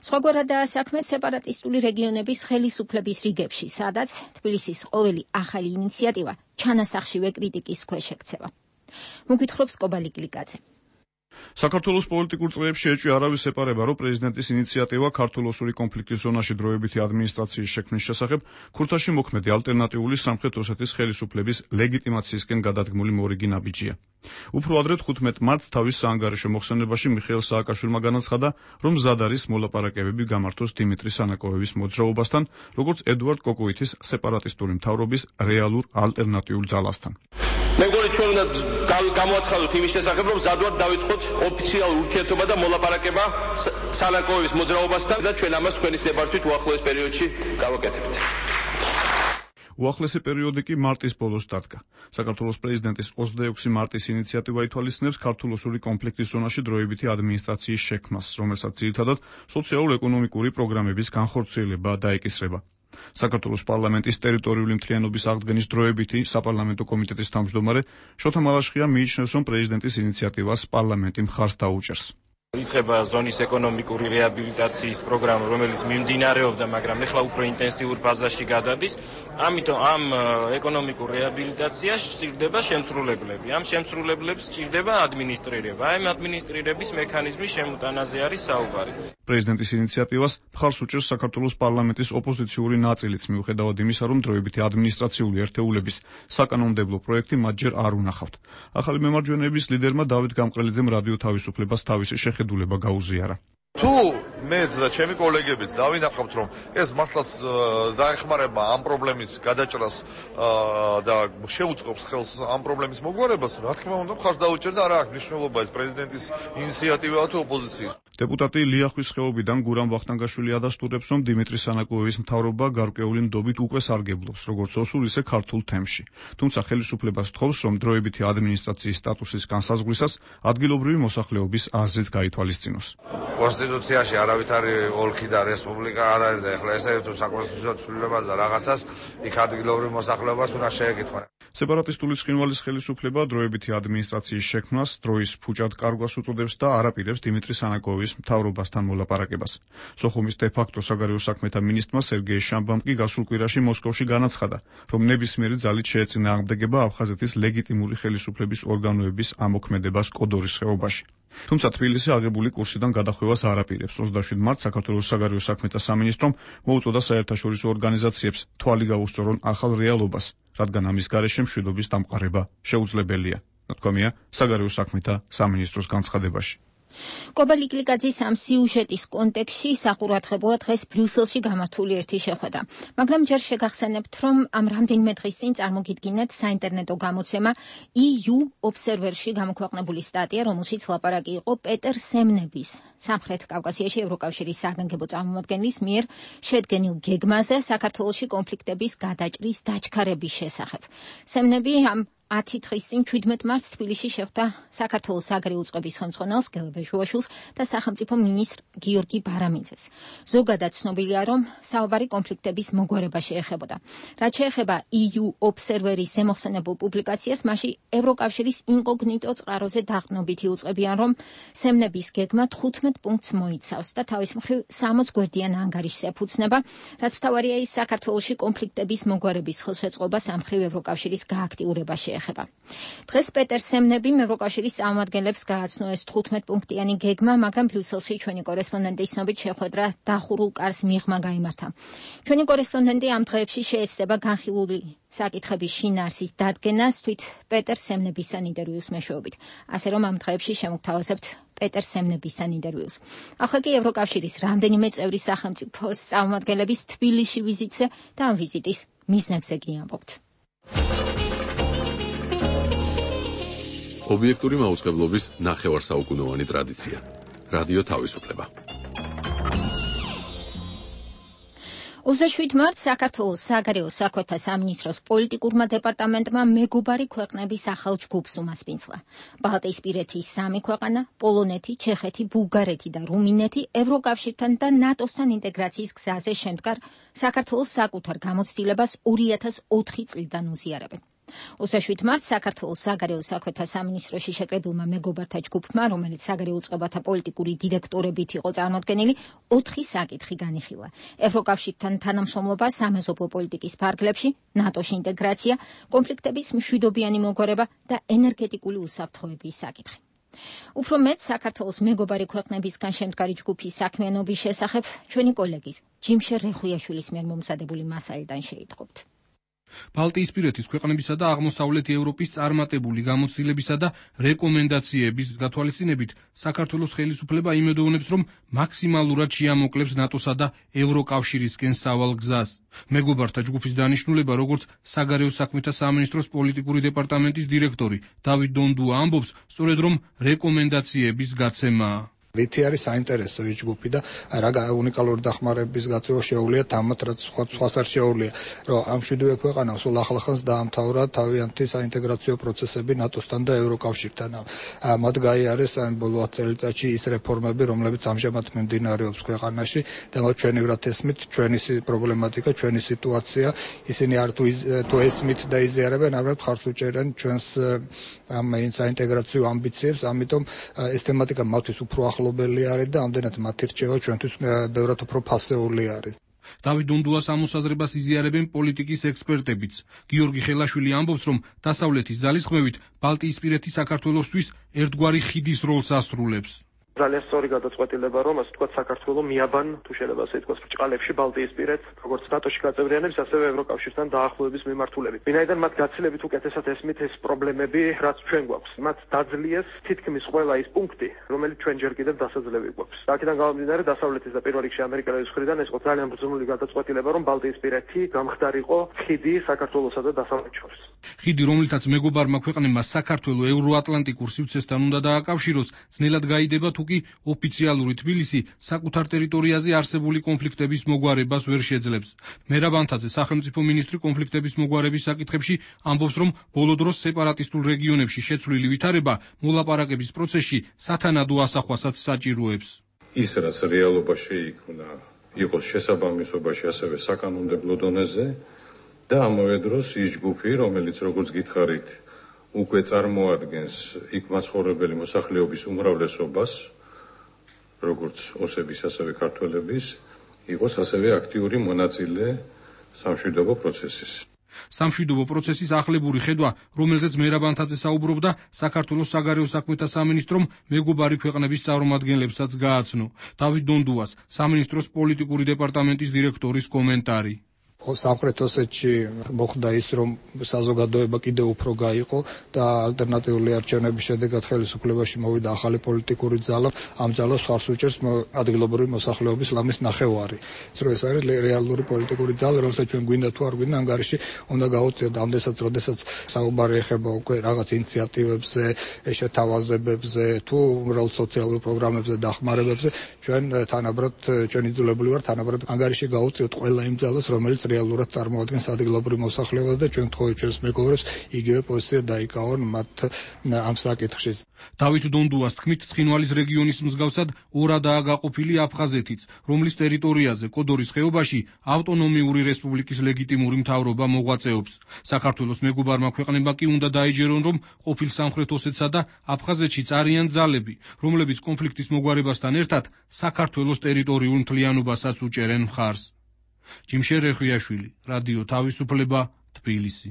სხვაგვარადაა საქმე სეპარატისტული რეგიონების ხელისუფლების რიგებში, სადაც თბილისის ყოველი ახალი ინიციატივა ჩანასახშივე კრიტიკის ქვეშ ექცევა. მოგვითხრობს კობალი გლიკაძე. საქართველოს პოლიტიკურ წრეებში ეჭვი არავის ეპარება, რომ პრეზიდენტის ინიციატივა ქართულ-ოსური კონფლიქტის ზონაში დროებითი ადმინისტრაციის შექმნის შესახებ ქურთაში მოქმედი ალტერნატიული სამხრეთ ოსეთის ხელისუფლების ლეგიტიმაციისკენ გადადგმული მორიგი ნაბიჯია. უფრო ადრე 15 მარტს თავის საანგარიშო მოხსენებაში მიხეილ სააკაშვილმა განაცხადა, რომ მზად არის მოლაპარაკებები გამართოს დიმიტრი სანაკოევის მოძრაობასთან, როგორც ედუარდ კოკოითის სეპარატისტული მთავრობის რეალურ ალტერნატიულ ძალასთან. მე მგონი ჩვენ უნდა გამოაცხადოთ იმის შესახებ, რომ მზად ვართ დავიწყოთ ოფიციალური ურთიერთობა და მოლაპარაკება სანაკოევის მოძრაობასთან და ჩვენ ამას თქვენის ნებართვით უახლოეს პერიოდში გავაკეთებთ. უახლესი პერიოდი კი მარტის ბოლოს დადგა. საქართველოს პრეზიდენტის 26 მარტის ინიციატივა ითვალისწინებს ქართულ-ოსური კონფლიქტის ზონაში დროებითი ადმინისტრაციის შექმნას, რომელსაც ძირითადად სოციალურ-ეკონომიკური პროგრამების განხორციელება დაეკისრება. საქართველოს პარლამენტის ტერიტორიული მთლიანობის აღდგენის დროებითი საპარლამენტო კომიტეტის თავმჯდომარე შოთა მალაშხია მიიჩნევს, რომ პრეზიდენტის ინიციატივას პარლამენტი მხარს დაუჭერს. იწყება ზონის ეკონომიკური რეაბილიტაციის პროგრამა, რომელიც მიმდინარეობდა, მაგრამ ეხლა უფრო ინტენსიურ ფაზაში გადადის. ამიტომ ამ ეკონომიკურ რეაბილიტაციაში სჭირდება შემსრულებლები. ამ შემსრულებლებს სჭირდება ადმინისტრირება. ამ ადმინისტრირების მექანიზმის შემოტანაზე არის საუბარი. პრეზიდენტის ინიციატივას მხარს უჭერს საქართველოს პარლამენტის ოპოზიციური ნაწილიც, მიუხედავად იმისა, რომ დროებითი ადმინისტრაციული ერთეულების საკანონმდებლო პროექტი მათ ჯერ არ უნახავთ. ახალი მემარჯვენეების ლიდერმა დავით გამყრელიძემ რადიო თავისუფლებას თავისი შეხედულება გაუზიარა. თუ მეც და ჩემი კოლეგებიც დავინახავთ, რომ ეს მართლაც დაეხმარება ამ პრობლემის გადაჭრას და შეუწყობს ხელს ამ პრობლემის მოგვარებას, რა თქმა უნდა, მხარს დაუჭერდა, არა აქვს მნიშვნელობა ეს პრეზიდენტის ინიციატივაა თუ ოპოზიციის. დეპუტატი ლიახვის ხეობიდან გურამ ვახტანგაშვილი ადასტურებს, რომ დიმიტრი სანაკოევის მთავრობა გარკვეული ნდობით უკვე სარგებლობს, როგორც ოსურ, ისე ქართულ თემში. თუმცა ხელისუფლებას თხოვს, რომ დროებითი ადმინისტრაციის სტატუსის განსაზღვრისას ადგილობრივი მოსახლეობის აზრიც გაითვალისწინოს. კონსტიტუციაში არავითარი ოლქი და რესპუბლიკა არ არის და ეხლა ესე თუ საკონსტიტუციო ცვლილებას და რაღაცას იქ ადგილობრივ მოსახლეობას უნდა შეეკითხვა. სეპარატისტული ცხინვალის ხელისუფლება დროებითი ადმინისტრაციის შექმნას დროის ფუჭად კარგვას უწოდებს და არ აპირებს დიმიტრი სანაკოევის მთავრობასთან მოლაპარაკებას. სოხუმის დე-ფაქტო საგარეო საქმეთა მინისტრმა სერგეი შამბამ კი გასულ კვირაში მოსკოვში განაცხადა, რომ ნებისმიერი ძალით შეეწინააღმდეგება აფხაზეთის ლეგიტიმური ხელისუფლების ორგანოების ამოქმედებას კოდორის ხეობაში. თუმცა თბილისი აღებული კურსიდან გადახვევას არ აპირებს. 27 მარტს საქართველოს საგარეო საქმეთა სამინისტრომ მოუწოდა საერთაშორისო ორგანიზაციებს თვალი გაუსწორონ ახალ რეალობას, რადგან ამის გარეშე მშვიდობის დამყარება შეუძლებელია. ნათქვამია საგარეო საქმეთა სამინისტროს განცხადებაში. კობალი გლიკაძის ამ სიუჟეტის კონტექსტში საყურადღებოა დღეს ბრიუსელში გამართული ერთი შეხვედრა. მაგრამ ჯერ შეგახსენებთ, რომ ამ რამდენიმე დღის წინ წარმოგიდგინეთ საინტერნეტო გამოცემა EU Observer-ში გამოქვეყნებული სტატია, რომელშიც ლაპარაკი იყო პეტერ სემნების, სამხრეთ კავკასიაში ევროკავშირის საგანგებო წარმომადგენლის მიერ შედგენილ გეგმაზე საქართველოში კონფლიქტების გადაჭრის დაჩქარების შესახებ. სემნები ამ 10 დღის წინ 17 მარტს თბილისში შეხვდა საქართველოს საგარეო უწყების ხელმძღვანელს გელბეჟუაშვილს და სახელმწიფო მინისტრ გიორგი ბარამიძეს. ზოგადად ცნობილია, რომ საუბარი კონფლიქტების მოგვარებაში ეხებოდა. რაც შეეხება EU Observer-ის ზემოხსენებულ პუბლიკაციას, მასში ევროკავშირის ინკოგნიტო წყაროზე დაყრდნობითი უწყებიან, რომ სემნების გეგმა 15 პუნქტს მოიცავს და თავის მხრივ 60 გვერდიან ანგარიშს ეფუძნება, რაც მთავარია ის საქართველოში კონფლიქტების მოგვარების ხელშეწყობას ამ მხრივ ევროკავშირის გააქტიურებაში ეხება. დღეს პეტერ სემნებიმ ევროკავშირის წარმომადგენლებს გააცნო ეს 15 პუნქტიანი გეგმა, მაგრამ ბრიუსელში ჩვენი კორესპონდენტის ცნობით შეხვედრა დახურულ კარს მიღმა გაიმართა. ჩვენი კორესპონდენტი ამ დღეებში შეეცდება განხილული საკითხების შინაარსის დადგენას თვით პეტერ სემნებისთან ინტერვიუს მეშვეობით. ასე რომ ამ დღეებში შემოგთავაზებთ პეტერ სემნებისთან ინტერვიუს. ახლა კი ევროკავშირის რამდენიმე წევრი სახელმწიფოს წარმომადგენლების თბილისში ვიზიტზე და ამ ვიზიტის მიზნებზე კი ამბობთ. ობიექტური მაუწყებლობის ნახევარსაუკუნოვანი ტრადიცია. რადიო თავისუფლება. 27 მარტს საქართველოს საგარეო საქმეთა სამინისტროს პოლიტიკურმა დეპარტამენტმა მეგობარი ქვეყნების ახალ ჯგუფს უმასპინძლა. ბალტიისპირეთის 3 ქვეყანა, პოლონეთი, ჩეხეთი, ბულგარეთი და რუმინეთი ევროკავშირთან და ნატოსთან ინტეგრაციის გზაზე შემდგარ საქართველოს საკუთარ გამოცდილებას 2004 წლიდან უზიარებენ. 27 მარტს საქართველოს საგარეო საქმეთა სამინისტროში შეკრებილმა მეგობართა ჯგუფმა, რომელიც საგარეო წყებათა პოლიტიკური დირექტორებით იყო წარმოდგენილი, 4 საკითხი განიხილა. ევროკავშირთან თანამშრომლობა, სამეზობლო პოლიტიკის ფარგლებში, ნატოში ინტეგრაცია, კონფლიქტების მშვიდობიანი მოგვარება და ენერგეტიკული უსაფრთხოების საკითხი. უფრო მეტ საქართველოს მეგობარი ქვეყნებისგან შემდგარი ჯგუფის საქმიანობის შესახებ ჩვენი კოლეგის ჯიმშერ რეხვიაშვილის მიერ მომზადებული მასალიდან შეიტყობთ. ბალტიისპირეთის ქვეყნებისა და აღმოსავლეთი ევროპის წარმატებული გამოცდილებისა და რეკომენდაციების გათვალისწინებით საქართველოს ხელისუფლება იმედოვნებს, რომ მაქსიმალურად შეამოკლებს ნატოსა და ევროკავშირისკენ სავალ გზას. მეგობართა ჯგუფის დანიშნულება, როგორც საგარეო საქმეთა სამინისტროს პოლიტიკური დეპარტამენტის დირექტორი დავით დონდუა ამბობს, სწორედ რომ რეკომენდაციების გაცემაა. რითი არის საინტერესო ეს ჯგუფი და რა უნიკალური დახმარების გაწევა შეუძლია თამათ რაც სხვას არ შეუძლია, რომ ამ შვიდივე ქვეყანამ სულ ახლახანს დაამთავრა თავიანთი საინტეგრაციო პროცესები ნატოსთან და ევროკავშირთან. მათ გაიარეს ამ ბოლო 10 წელიწადში ის რეფორმები, რომლებიც ამჟამად მიმდინარეობს ქვეყანაში და მათ ჩვენივრად ესმით ჩვენი პრობლემატიკა, ჩვენი სიტუაცია, ისინი არ თუ ესმით და იზიარებენ, ამრად ხარს უჭერენ ჩვენს ამ საინტეგრაციო ამბიციებს, ამიტომ ეს თემატიკა მათთვის უფრო ახლობელი არის და ამდენად მათი რჩევა ჩვენთვის ბევრად უფრო ფასეული არის. დავით დონდუას ამოსაზრებას იზიარებენ პოლიტიკის ექსპერტებიც. გიორგი ხელაშვილი ამბობს, რომ დასავლეთის ძალისხმევით ბალტიისპირეთი საქართველოსთვის ერთგვარი ხიდის როლს ასრულებს. ძალიან სწორი გადაწყვეტილება, რომ ასე ვთქვათ, საქართველოს მიაბან, თუ შეიძლება ასე ვთქვათ, ბრჭყალებში ბალტიისპირეთს, როგორც ნატოში გაწევრიანების, ასევე ევროკავშირთან დაახლოების მიმართულებით. ვინაიდან მათ გაცილებით უკეთესად ესმით ეს პრობლემები, რაც ჩვენ გვაქვს. მათ დაძლიეს თითქმის ყველა ის პუნქტი, რომელიც ჩვენ ჯერ კიდევ დასაძლევი გვაქვს. აქედან გამომდინარე, დასავლეთის და პირველ რიგში ამერიკელების მხრიდან ეს იყო ძალიან ბრძნული გადაწყვეტილება, რომ ბალტიისპირეთი გამხდარიყო ხიდი საქართველოსა და დასავლეთ შორის. ხიდი, რომლითაც მეგობარმა ქვეყნებმა საქართველოს ევროატლანტიკურ სივრცესთან უნდა დააკავშიროს, ძნელად გაიდება თუ კი ოფიციალური თბილისი საკუთარ ტერიტორიაზე არსებული კონფლიქტების მოგვარებას ვერ შეძლებს. მერაბ ანთაძე, სახელმწიფო მინისტრი კონფლიქტების მოგვარების საკითხებში, ამბობს, რომ ბოლო დროს სეპარატისტულ რეგიონებში შეცვლილი ვითარება მოლაპარაკების პროცესში სათანადო ასახვასაც საჭიროებს. ის, რაც რეალობაში იქნა, იყოს შესაბამისობაში ასევე საკანონმდებლო დონეზე და ამავე დროს ის ჯგუფი, რომელიც როგორც გითხარით, უკვე წარმოადგენს იქ მაცხოვრებელი მოსახლეობის უმრავლესობას, როგორც ოსების, ასევე ქართველების, იყოს ასევე აქტიური მონაწილე სამშვიდობო პროცესის. სამშვიდობო პროცესის ახლებური ხედვა, რომელზეც მერაბ ანთაძე საუბრობდა, საქართველოს საგარეო საქმეთა სამინისტრომ მეგობარი ქვეყნების წარმომადგენლებსაც გააცნო. დავით დონდუას, სამინისტროს პოლიტიკური დეპარტამენტის დირექტორის კომენტარი. სამხრეთ ოსეთში მოხდა ის, რომ საზოგადოება კიდევ უფრო გაიყო და ალტერნატიული არჩევნების შედეგად ხელისუფლებაში მოვიდა ახალი პოლიტიკური ძალა. ამ ძალას ხარს უჭერს ადგილობრივი მოსახლეობის ლამის ნახევარი. ეს არის რეალური პოლიტიკური ძალა, რომელსაც ჩვენ გვინდა თუ არ გვინდა, ანგარიში უნდა გავუწიოთ ამდესაც, როდესაც საუბარი ეხება უკვე რაღაც ინიციატივებზე, შეთავაზებებზე, თუ უბრალოდ სოციალურ პროგრამებზე, დახმარებებზე, ჩვენ თანაბრად ჩვენ იძულებული ვართ თანაბრად ანგარიში გავუწიოთ ყველა იმ ძალას, რომელიც რეალურად წარმოადგენს ადგილობრივ მოსახლეობას და ჩვენ თხოვით ჩვენს მეგობრებს იგივე პოზიცია დაიკავონ მათ ამ საკითხში. დავით დონდუას თქმით, ცხინვალის რეგიონის მსგავსად ორადაა გაყოფილი აფხაზეთიც, რომლის ტერიტორიაზე კოდორის ხეობაში ავტონომიური რესპუბლიკის ლეგიტიმური მთავრობა მოღვაწეობს. საქართველოს მეგობარმა ქვეყნებმა კი უნდა დაეჯერონ, რომ ყოფილ სამხრეთ ოსეთსა და აფხაზეთშიც არიან ძალები, რომლებიც კონფლიქტის მოგვარებასთან ერთად საქართველოს ტერიტორიულ მთლიანობასაც უჭერენ მხარს. ჯიმშერ რეხვიაშვილი, რადიო თავისუფლება, თბილისი.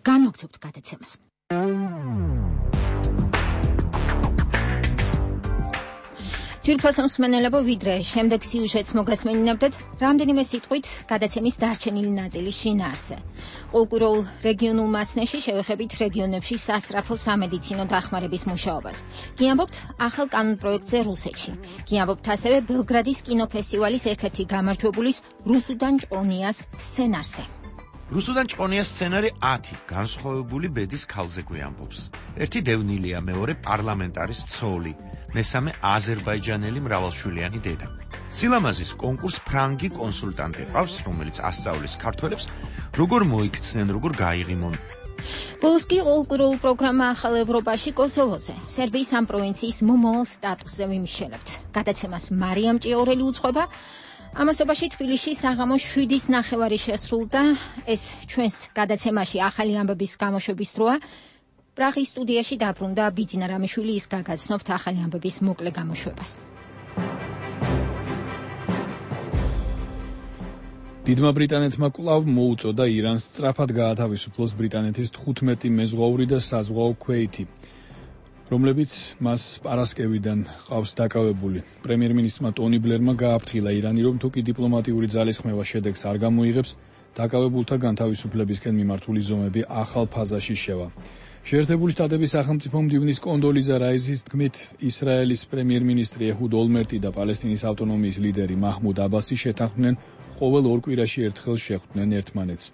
განვაგრძობთ გადაცემას. ძვირფასო მსმენელებო, ვიდრე შემდეგ სიუჟეტს მოგესმენინებდეთ, რამდენიმე სიტყვით გადაცემის დარჩენილი ნაწილის შინაარსზე. ყოველკვირეულ რეგიონულ მასნეში შევეხებით რეგიონებში სასწრაფო სამედიცინო დახმარების მუშაობას. გიამბობთ ახალ კანონპროექტზე რუსეთში. გიამბობთ ასევე ბელგრადის კინოფესტივალის ერთ-ერთი გამარჯვებულის რუსუდან ჭყონიას სცენარზე. რუსუდან ჭყონიას სცენარი 10 განსხვავებული ბედის ქალზე გვიამბობს. ერთი დევნილია, მეორე პარლამენტარის ცოლი, მესამე აზერბაიჯანელი მრავალშვილიანი დედა. სილამაზის კონკურს ფრანგი კონსულტანტი ყავს, რომელიც ასწავლის ქართველებს, როგორ მოიქცნენ, როგორ გაიღიმონ ბოლოსკი ყოლკურულ პროგრამა ახალ ევროპაში კოსოვოზე სერბიის ამ პროვინციის მომავალ სტატუსზე ვიმშელებთ. გადაცემას მარიამ ჭიაურელი უძღვება. ამასობაში თბილისში საღამოს 7:30 შესრულდა. ეს ჩვენს გადაცემაში ახალი ამბების გამოშვების დროა. პრაღის სტუდიაში დაბრუნდა ბიძინა რამიშვილი, ის გაგაცნობთ ახალი ამბების მოკლე გამოშვებას. დიდმა ბრიტანეთმა კვლავ მოუწოდა ირანს სწრაფად გაათავისუფლოს ბრიტანეთის 15 მეზღვაური და საზღვაო ქვეითი, რომლებიც მას პარასკევიდან ყავს დაკავებული. პრემიერ-მინისტრმა ტონი ბლერმა გააფრთხილა ირანი, რომ თუ კი დიპლომატიური ძალისხმევა შედეგს არ გამოიღებს, დაკავებულთა განთავისუფლებისკენ მიმართული ზომები ახალ ფაზაში შევა. შეერთებული შტატების სახელმწიფო მდივნის კონდოლიზა რაიზის თქმით, ისრაელის პრემიერ-მინისტრი ეჰუდ ოლმერტი და პალესტინის ავტონომიის ლიდერი მაჰმუდ აბასი შეთანხმდნენ ყოველ 2 კვირაში ერთხელ შეხვდნენ ერთმანეთს.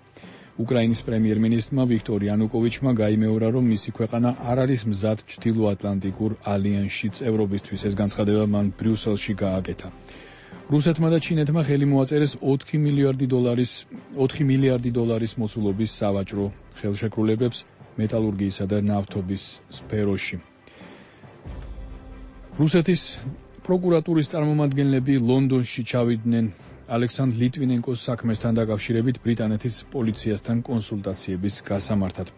უკრაინის პრემიერ-მინისტრმა ვიქტორ იანუკოვიჩმა გაიმეორა, რომ მისი ქვეყანა არ არის მზად ჩრდილოატლანტიკურ ალიანსში წევრობისთვის. ეს განცხადება მან ბრიუსელში გააკეთა. რუსეთმა და ჩინეთმა ხელი მოაწერეს 4 მილიარდი დოლარის მოცულობის სავაჭრო ხელშეკრულებებს მეტალურგიისა და ნავთობის სფეროში. რუსეთის პროკურატურის წარმომადგენლები ლონდონში ჩავიდნენ ალექსანდრ ლიტვინენკოს საქმესთან დაკავშირებით ბრიტანეთის პოლიციასთან კონსულტაციების გასამართად.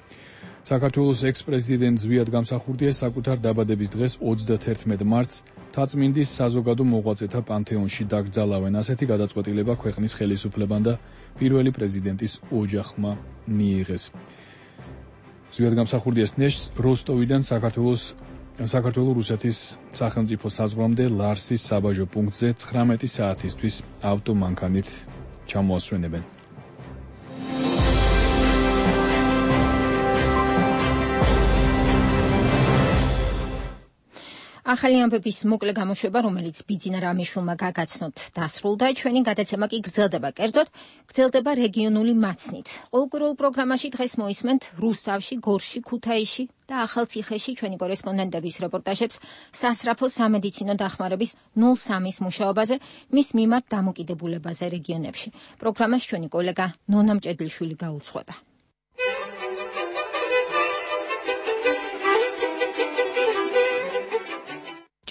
საქართველოს ექს-პრეზიდენტ ზვიად გამსახურდია საკუთარ დაბადების დღეს 31 მარტს თაწმინდის საზოგადო მოღვაწეთა პანთეონში დაკრძალავენ. ასეთი გადაწყვეტილება ქვეყნის ხელისუფლებამ და პირველი პრეზიდენტის ოჯახმა მიიღეს. ზვიად გამსახურდიას ნეშტს როსტოვიდან საქართველოს-რუსეთის სახელმწიფო საზღვრამდე ლარსის საბაჟო პუნქტზე 19 საათისთვის ავტომანქანით ჩამოასვენებენ. ახალი ამბების მოკლე გამოშვება, რომელიც ბიძინა რამიშვილმა გაგაცნოთ, დასრულდა. ჩვენი გადაცემა კი გრძელდება. კერძოდ, გრძელდება რეგიონული მაცნით. ყოლკურულ პროგრამაში დღეს მოისმენთ რუსთავში, გორში, ქუთაისში და ახალციხეში ჩვენი კორესპონდენტების რეპორტაჟებს სასწრაფო სამედიცინო დახმარების 03-ის მუშაობაზე, მის მიმართ დამოკიდებულებაზე რეგიონებში. პროგრამას ჩვენი კოლეგა ნონა მჭედლიშვილი გაუძღვება.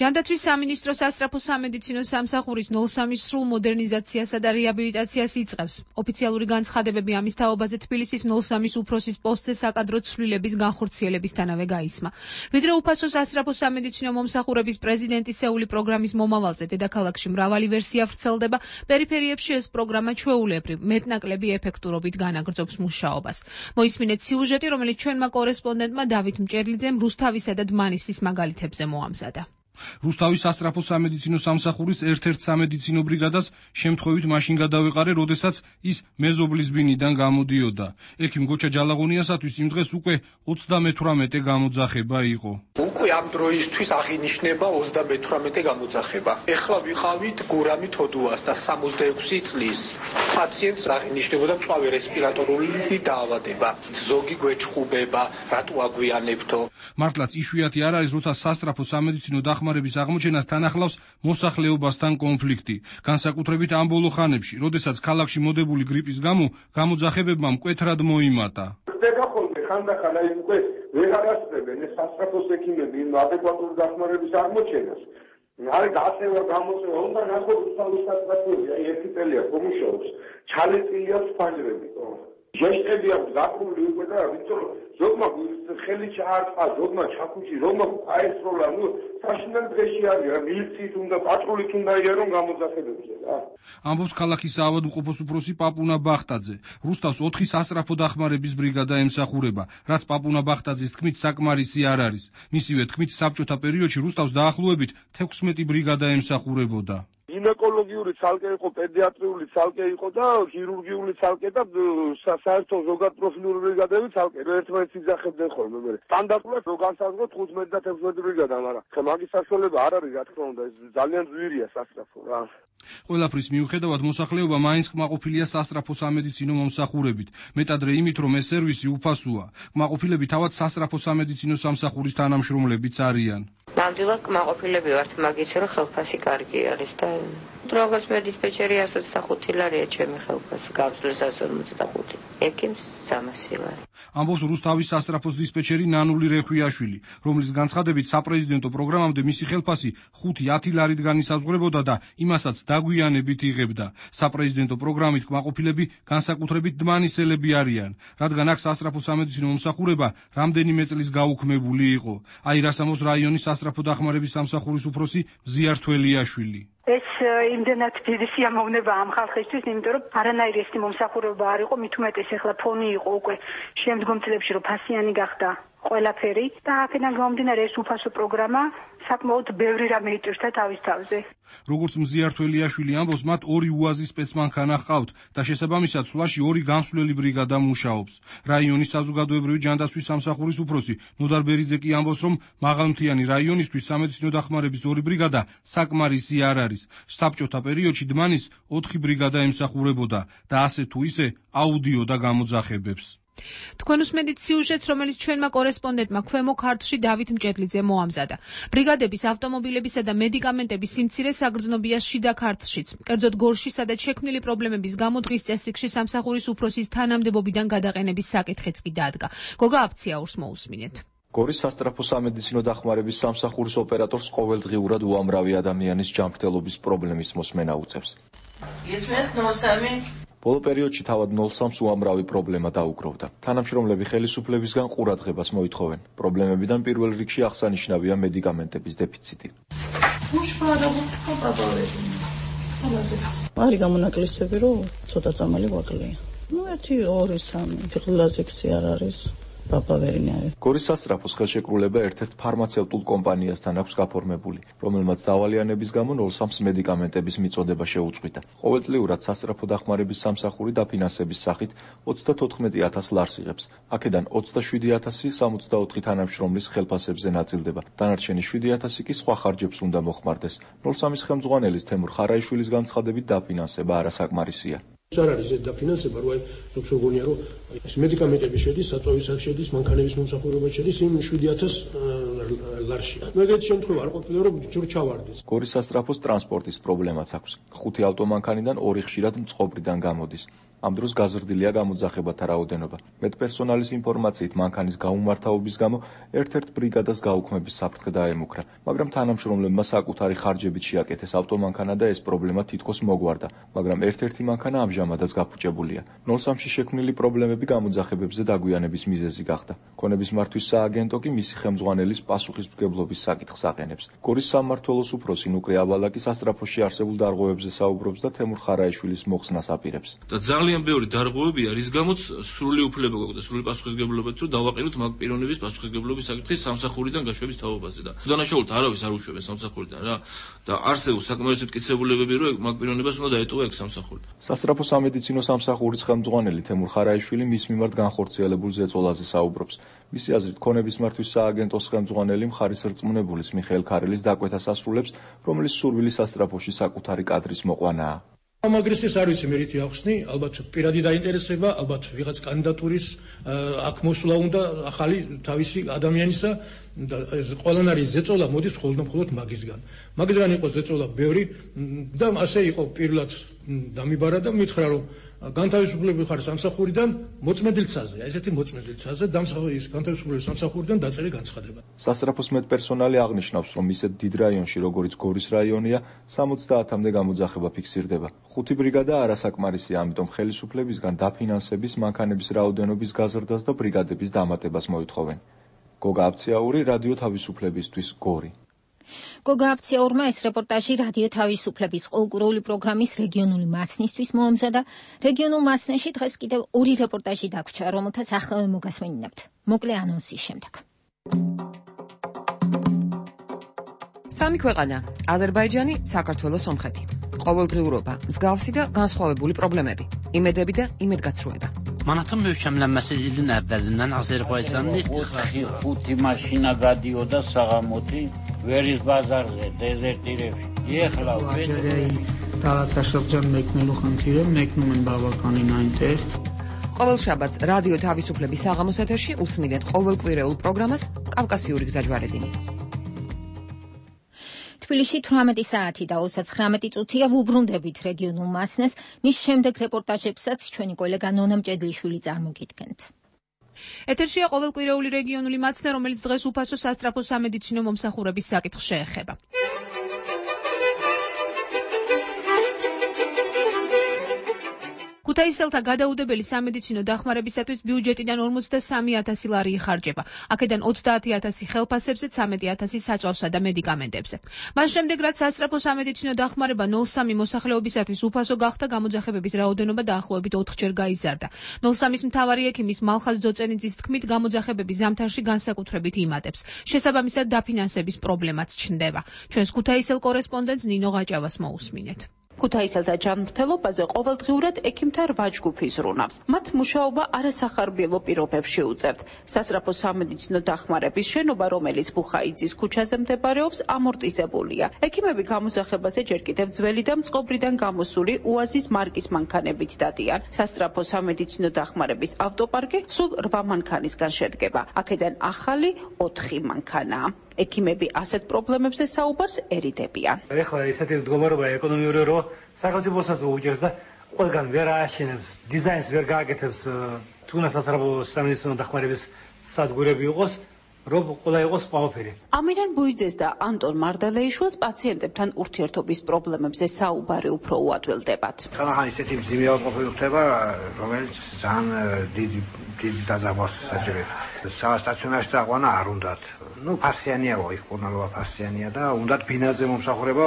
ჯანდაცვის სამინისტრო სასწრაფო სამედიცინო სამსახურის 03-ის სრულ მოდერნიზაციასა და რეაბილიტაციას იწყებს. ოფიციალური განცხადებები ამის თაობაზე თბილისის 03-ის უფროსის პოსტზე საკადრო ცვლილების განხორციელებისთანავე გაისმა. ვიდრე უფასო სასწრაფო სამედიცინო მომსახურების პრეზიდენტისეული პროგრამის მომავალზე დედაქალაქში მრავალი ვერსია ვრცელდება, პერიფერიებში ეს პროგრამა ჩვეულებრივ მეტნაკლები ეფექტურობით განაგრძობს მუშაობას. მოისმინეთ სიუჟეტი, რომელიც ჩვენმა კორესპონდენტმა დავით მჭედლიძემ რუსთავისა და დმანისის მაგალითებზე მოამზადა. რუსთავის სასწრაფო სამედიცინო სამსახურის ერთ-ერთ სამედიცინო ბრიგადას შემთხვევით მაშინ გადავეყარე, როდესაც ის მეზობლის ბინიდან გამოდიოდა. ექიმ გოჩა ჯალაღონიასათვის იმ დღეს უკვე 38 გამოძახება იყო. უკვე ამ დროისთვის აღინიშნება 38 გამოძახება. ეხლა ვიყავით გურამი თოდუას და 66 წლის პაციენტს აღინიშნებოდა მწვავე რესპირატორული დაავადება. ზოგი გვეჩხუბება, რატო აგვიანებთო? მართლაც იშვიათი არ არის, როცა სასწრაფო სამედიცინო დახმარების აღმოჩენას თან ახლავს მოსახლეობასთან კონფლიქტი. განსაკუთრებით ამ ბოლო ხანებში, როდესაც ქალაქში მოდებული გრიპის გამო გამოძახებებმა მკვეთრად მოიმატა. ხდება ხოლმე ხანდახან აი უკვე ვეღარ ასწრებენ ეს სასწრაფოს ექიმები იმ ადეკვატური დახმარების აღმოჩენას. არ გაწევა გამოწევა უნდა ნახო რუსთავის სასწრაფოები, აი ერთი წელია კომუშაობს, ჩალეწილია ფანჯრები. ჟესტები აქვს გაკრული უკვე და ვიცი ზოგმა ხელი ჩაარტყა, ზოგმა ჩაქუჩი, ზოგმა აესროლა, ნუ საშინელ დღეში არის რა, მილიციის უნდა, პატრულით უნდა იარონ გამოძახებებზე რა. ამბობს ქალაქის საავადმყოფოს უფროსი პაპუნა ბახტაძე. რუსთავს 4 სასწრაფო დახმარების ბრიგადა ემსახურება, რაც პაპუნა ბახტაძის თქმით საკმარისი არ არის. მისივე თქმით საბჭოთა პერიოდში რუსთავს დაახლოებით 16 ბრიგადა ემსახურებოდა. გინეკოლოგიური ცალკე იყო, პედიატრიული ცალკე იყო და ქირურგიული ცალკე და საერთო ზოგადპროფილური ბრიგადები ცალკე ერთმანეთს იძახებდნენ ხოლმე. სტანდარტულად რო განსაზღვროთ 15 და 16 ბრიგადა, მაგრამ ხა მაგის საშუალება არ არის, რა თქმა უნდა, ეს ძალიან ძვირია სასწრაფო რა. ყველაფრის მიუხედავად მოსახლეობა მაინც კმაყოფილია სასწრაფო სამედიცინო მომსახურებით, მეტადრე იმით, რომ ეს სერვისი უფასოა. კმაყოფილები თავად სასწრაფო სამედიცინო სამსახურის თანამშრომლებიც არიან. ნამდვილად კმაყოფილები ვართ მაგით, რომ ხელფასი კარგი არის და როგორც მე დისპეჩერი 125 ლარია ჩემი ხელფასი, გავწლის 155. ექიმს 300 ლარი. ამბობს რუსთავის სასწრაფოს დისპეჩერი ნანული რეხვიაშვილი, რომლის განცხადებით საპრეზიდენტო პროგრამამდე მისი ხელფასი 5-10 ლარით განისაზღვრებოდა და იმასაც დაგვიანებით იღებდა. საპრეზიდენტო პროგრამით კმაყოფილები განსაკუთრებით დმანისელები არიან, რადგან აქ სასწრაფო სამედიცინო მომსახურება რამდენიმე წლის გაუქმებული იყო. აი რას ამბობს რაიონის სასწრაფო დახმარების სამსახურის უფროსი მზიარ თველიაშვილი. ეს იმდენად დიდი სიამოვნება ამ ხალხისთვის, იმიტომ რომ არანაირი ეს მომსახურება არ იყო, მით უმეტეს ახლა ფონი იყო უკვე შემდგომ წლებში, რომ ფასიანი გახდა ყველაფერი და აქედან გამომდინარე ეს უფასო პროგრამა საკმაოდ ბევრი რამე იტვირთა თავის თავზე. როგორც მზიარ თველიაშვილი ამბობს, მათ 2 უაზი სპეცმანქანა ჰყავთ და შესაბამისად სვლაში 2 გამსვლელი ბრიგადა მუშაობს. რაიონის საზოგადოებრივი ჯანდაცვის სამსახურის უფროსი ნოდარ ბერიძე კი ამბობს, რომ მაღალმთიანი რაიონისთვის სამედიცინო დახმარების 2 ბრიგადა საკმარისი არ არის. საბჭოთა პერიოდში დმანის 4 ბრიგადა ემსახურებოდა და ასე თუ ისე აუდიოდა გამოძახებებს. თქვენ უსმენთ სიუჟეტს, რომელიც ჩვენმა კორესპონდენტმა ქვემო ქართლში დავით მჭედლიძე მოამზადა. ბრიგადების ავტომობილებისა და მედიკამენტების სიმცირე საგრძნობია შიდა ქართლშიც. კერძოდ გორში, სადაც შექმნილი პრობლემების გამო დღის წესრიგში სამსახურის უფროსის თანამდებობიდან გადაყენების საკითხიც კი დადგა. გოგა აფციაურს მოусმინეთ. გორის სასწრაფო სამედიცინო დახმარების სამსახურის ოპერატორს ყოველდღიურად უამრავი ადამიანის ჯანმრთელობის პრობლემის მოსმენა უწევს. ისმენთ 03 ბოლო პერიოდში თავად 03-ს უამრავი პრობლემა დაუგროვდა. თანამშრომლები ხელისუფლებისგან ყურადღებას მოითხოვენ. პრობლემებიდან პირველ რიგში აღსანიშნავია მედიკამენტების დეფიციტი. არის გამონაკლისები, რომ ცოტა წამალი ვაკლია. 1-2-3 ფიხლაზექსი არ არის. გორის სასწრაფოს ხელშეკრულება ერთ-ერთ ფარმაცევტულ კომპანიასთან აქვს გაფორმებული, რომელმაც დავალიანების გამო 03-ს მედიკამენტების მიწოდება შეუწყვიტა. ყოველწლიურად სასწრაფო დახმარების სამსახური დაფინანსების სახით 34,000 ლარს იღებს. აქედან 27,000 64 თანამშრომლის ხელფასებზე ნაწილდება. დანარჩენი 7,000 კი სხვა ხარჯებს უნდა მოხმარდეს. 03-ის ხელმძღვანელის თემურ ხარაიშვილის განცხადებით დაფინანსება არასაკმარისია. არ არის ეს დაფინანსება, რომ როგორც გონია, რომ ეს მედიკამენტები შედის, საწვავისად შედის, მანქანების მომსახურება შედის იმ 7,000 ლარში. მეგეთ შემთხვევა არ ყოფილა, რომ ჯურჩავარდეს. გორის სასწრაფოს ტრანსპორტის პრობლემაც აქვს. 5 ავტომანქანიდან 2 ხშირად მწყობრიდან გამოდის. ამ დროს გაზრდილია გამოძახებათა რაოდენობა. მედპერსონალის ინფორმაციით მანქანის გაუმართავობის გამო ერთ-ერთ ბრიგადას გაუქმების საფრთხე დაემუქრა, მაგრამ თანამშრომლებმა საკუთარი ხარჯებით შეაკეთეს ავტომანქანა და ეს პრობლემა თითქოს მოგვარდა, მაგრამ ერთ-ერთი მანქანა ამჟამადაც გაფუჭებულია. 03-ში შექმნილი პრობლემები გამოძახებებზე დაგვიანების მიზეზი გახდა. ქონების მართვის სააგენტო კი მისი ხელმძღვანელის პასუხისმგებლობის საკითხს აყენებს. გორის სამმართველოს უფროსი ნუკრე ავალაკი სასწრაფოში არსებულ დარღვევებზე საუბრობს და თემურ ხარაიშვილის მოხსნას აპირებს. ძალიან ბევრი დარღვევებია, რის გამოც სრული უფლება გვაქვს და სრული პასუხისმგებლობა თუ დავაყენოთ მაგ პიროვნების პასუხისმგებლობის საკითხის სამსახურიდან გაშვების თაობაზე და დანაშაულთა არავის არ უშვებენ სამსახურიდან რა და არსებობს საკმარისი მტკიცებულებები, რომ მაგ პიროვნებას უნდა დაეტოვა ეგ სამსახური. სასწრაფო სამედიცინო სამსახურის ხელმძღვანელი თემურ ხარაიშვილი მის მიმართ განხორციელებულ ზეწოლაზე საუბრობს. მისი აზრით, ქონების მართვის სააგენტოს ხელმძღვანელი მხარის რწმუნებულის მიხეილ ქარელის დაკვეთას ასრულებს, რომელიც სურვილი სასწრაფოში საკუთარი კადრის მოყვანაა. ამაგრეს ეს არ ვიცი მე რითი ახსნი, ალბათ პირადი დაინტერესება, ალბათ ვიღაც კანდიდატურის აქ მოსვლა უნდა ახალი თავისი ადამიანისა და ყველანაირი ზეწოლა მოდის მხოლოდ მაგისგან. მაგისგან იყო ზეწოლა ბევრი და ასე იყო პირველად დამიბარა და მითხრა რომ განთავისუფლებული ხარ სამსახურიდან მოწმენდილცაზე, ესეთი მოწმენდილცაზე დამსახურის განთავისუფლების სამსახურიდან დაწერილი განცხადება. სასწრაფოს მედპერსონალი აღნიშნავს, რომ ისეთ დიდ რაიონში, როგორც გორის რაიონია, 70-მდე გამოძახება ფიქსირდება. 5 ბრიგადა არასაკმარისია, ამიტომ ხელისუფლებისგან დაფინანსების, მანქანების რაოდენობის გაზრდას და ბრიგადების დამატებას მოითხოვენ. გოგა აფციაური, რადიო თავისუფლებისთვის, გორი. გოგა აფციაურმა ეს რეპორტაჟი რადიო თავისუფლების ყოველკვირეული პროგრამის რეგიონული მაცნისთვის მოამზადა. რეგიონულ მაცნეში დღეს კიდევ 2 რეპორტაჟი დაგვრჩა, რომელთაც ახლავე მოგასმენინებთ. მოკლე ანონსის შემდეგ. სამი ქვეყანა: აზერბაიჯანი, საქართველოს, სომხეთი. ყოველდღიურობა, მსგავსი და განსხვავებული პრობლემები, იმედები და იმედგაცრუება. Manatın möhkəmlənməsi ilin əvvəlindən Azərbaycanın ixtixası 5 maşına qadıyorda sağamoti veriz bazarზე დეზერტირებში. ეხლა տարածաշրջան մեկնելու խնդիրը մեկնում են բավականին այնտեղ. ყოველ შაბათს რადიო თავისუფლების საღამოს ეთერში უსმინეთ ყოველკვირეულ პროგრამას კავკასიური გზაჯვარედინი. თბილისში 18 საათი და 39 წუთია ვუბრუნდებით რეგიონულ მასნეს, მის შემდეგ რეპორტაჟებსაც ჩვენი კოლეგა ნონა მჭედლიშვილი წარმოგიდგენთ. ეთერშია ყოველკვირეული რეგიონული მაცნე, რომელიც დღეს უფასო სასწრაფო სამედიცინო მომსახურების საკითხს შეეხება. ქუთაისელთა გადაუდებელი სამედიცინო დახმარებისათვის ბიუჯეტიდან 53,000 ლარი იხარჯება. აქედან 30,000 ხელფასებზე, 13,000 საწვავსა და მედიკამენტებზე. მას შემდეგ, რაც სასწრაფო სამედიცინო დახმარება 03 მოსახლეობისათვის უფასო გახდა, გამოძახებების რაოდენობა დაახლოებით 4-ჯერ გაიზარდა. 03-ის მთავარი ექიმის მალხაზ ძოწენიძის თქმით, გამოძახებები ზამთარში განსაკუთრებით იმატებს. შესაბამისად, დაფინანსების პრობლემაც ჩნდება. ჩვენს ქუთაისელ კორესპონდენტს ნინო გაჭავას მოусმინეთ. ქუთაისელთა ჯანმრთელობაზე ყოველდღიურად ექიმთა 8 ჯგუფი ზრუნავს. მათ მუშაობა არასახარბიელო პირობებში უწევთ. სასწრაფო სამედიცინო დახმარების შენობა, რომელიც ბუხაიძის ქუჩაზე მდებარეობს, ამორტიზებულია. ექიმები გამოძახებაზე ჯერ კიდევ ძველი და მწყობრიდან გამოსული უაზის მარკის მანქანებით დადიან. სასწრაფო სამედიცინო დახმარების ავტოპარკი სულ 8 მანქანისგან შედგება. აქედან ახალი 4 მანქანაა. ექიმები ასეთ პრობლემებზე საუბარს ერიდებიან. ეხლა ესეთი მდგომარეობა ეკონომიური რო სახელმწიფოსაც უჭერს და ყველგან ვერ ააშენებს, დიზაინს ვერ გააკეთებს, თუნდაც სასწრაფო სამედიცინო დახმარების სადგურები იყოს, რომ ყველა იყოს ყველაფერი. ამირან ბუიძეს და ანტონ მარდალეიშვილს პაციენტებთან ურთიერთობის პრობლემებზე საუბარი უფრო უადვილდებათ. ხან ისეთი მძიმე ავტომობილი ხდება, რომელიც ძალიან დიდი დაძაბვას საჭიროებს. სტაციონარში დაყვანა არ უნდათ. ფასიანია იქ კურნალობა ფასიანია და უნდათ ბინაზე მომსახურება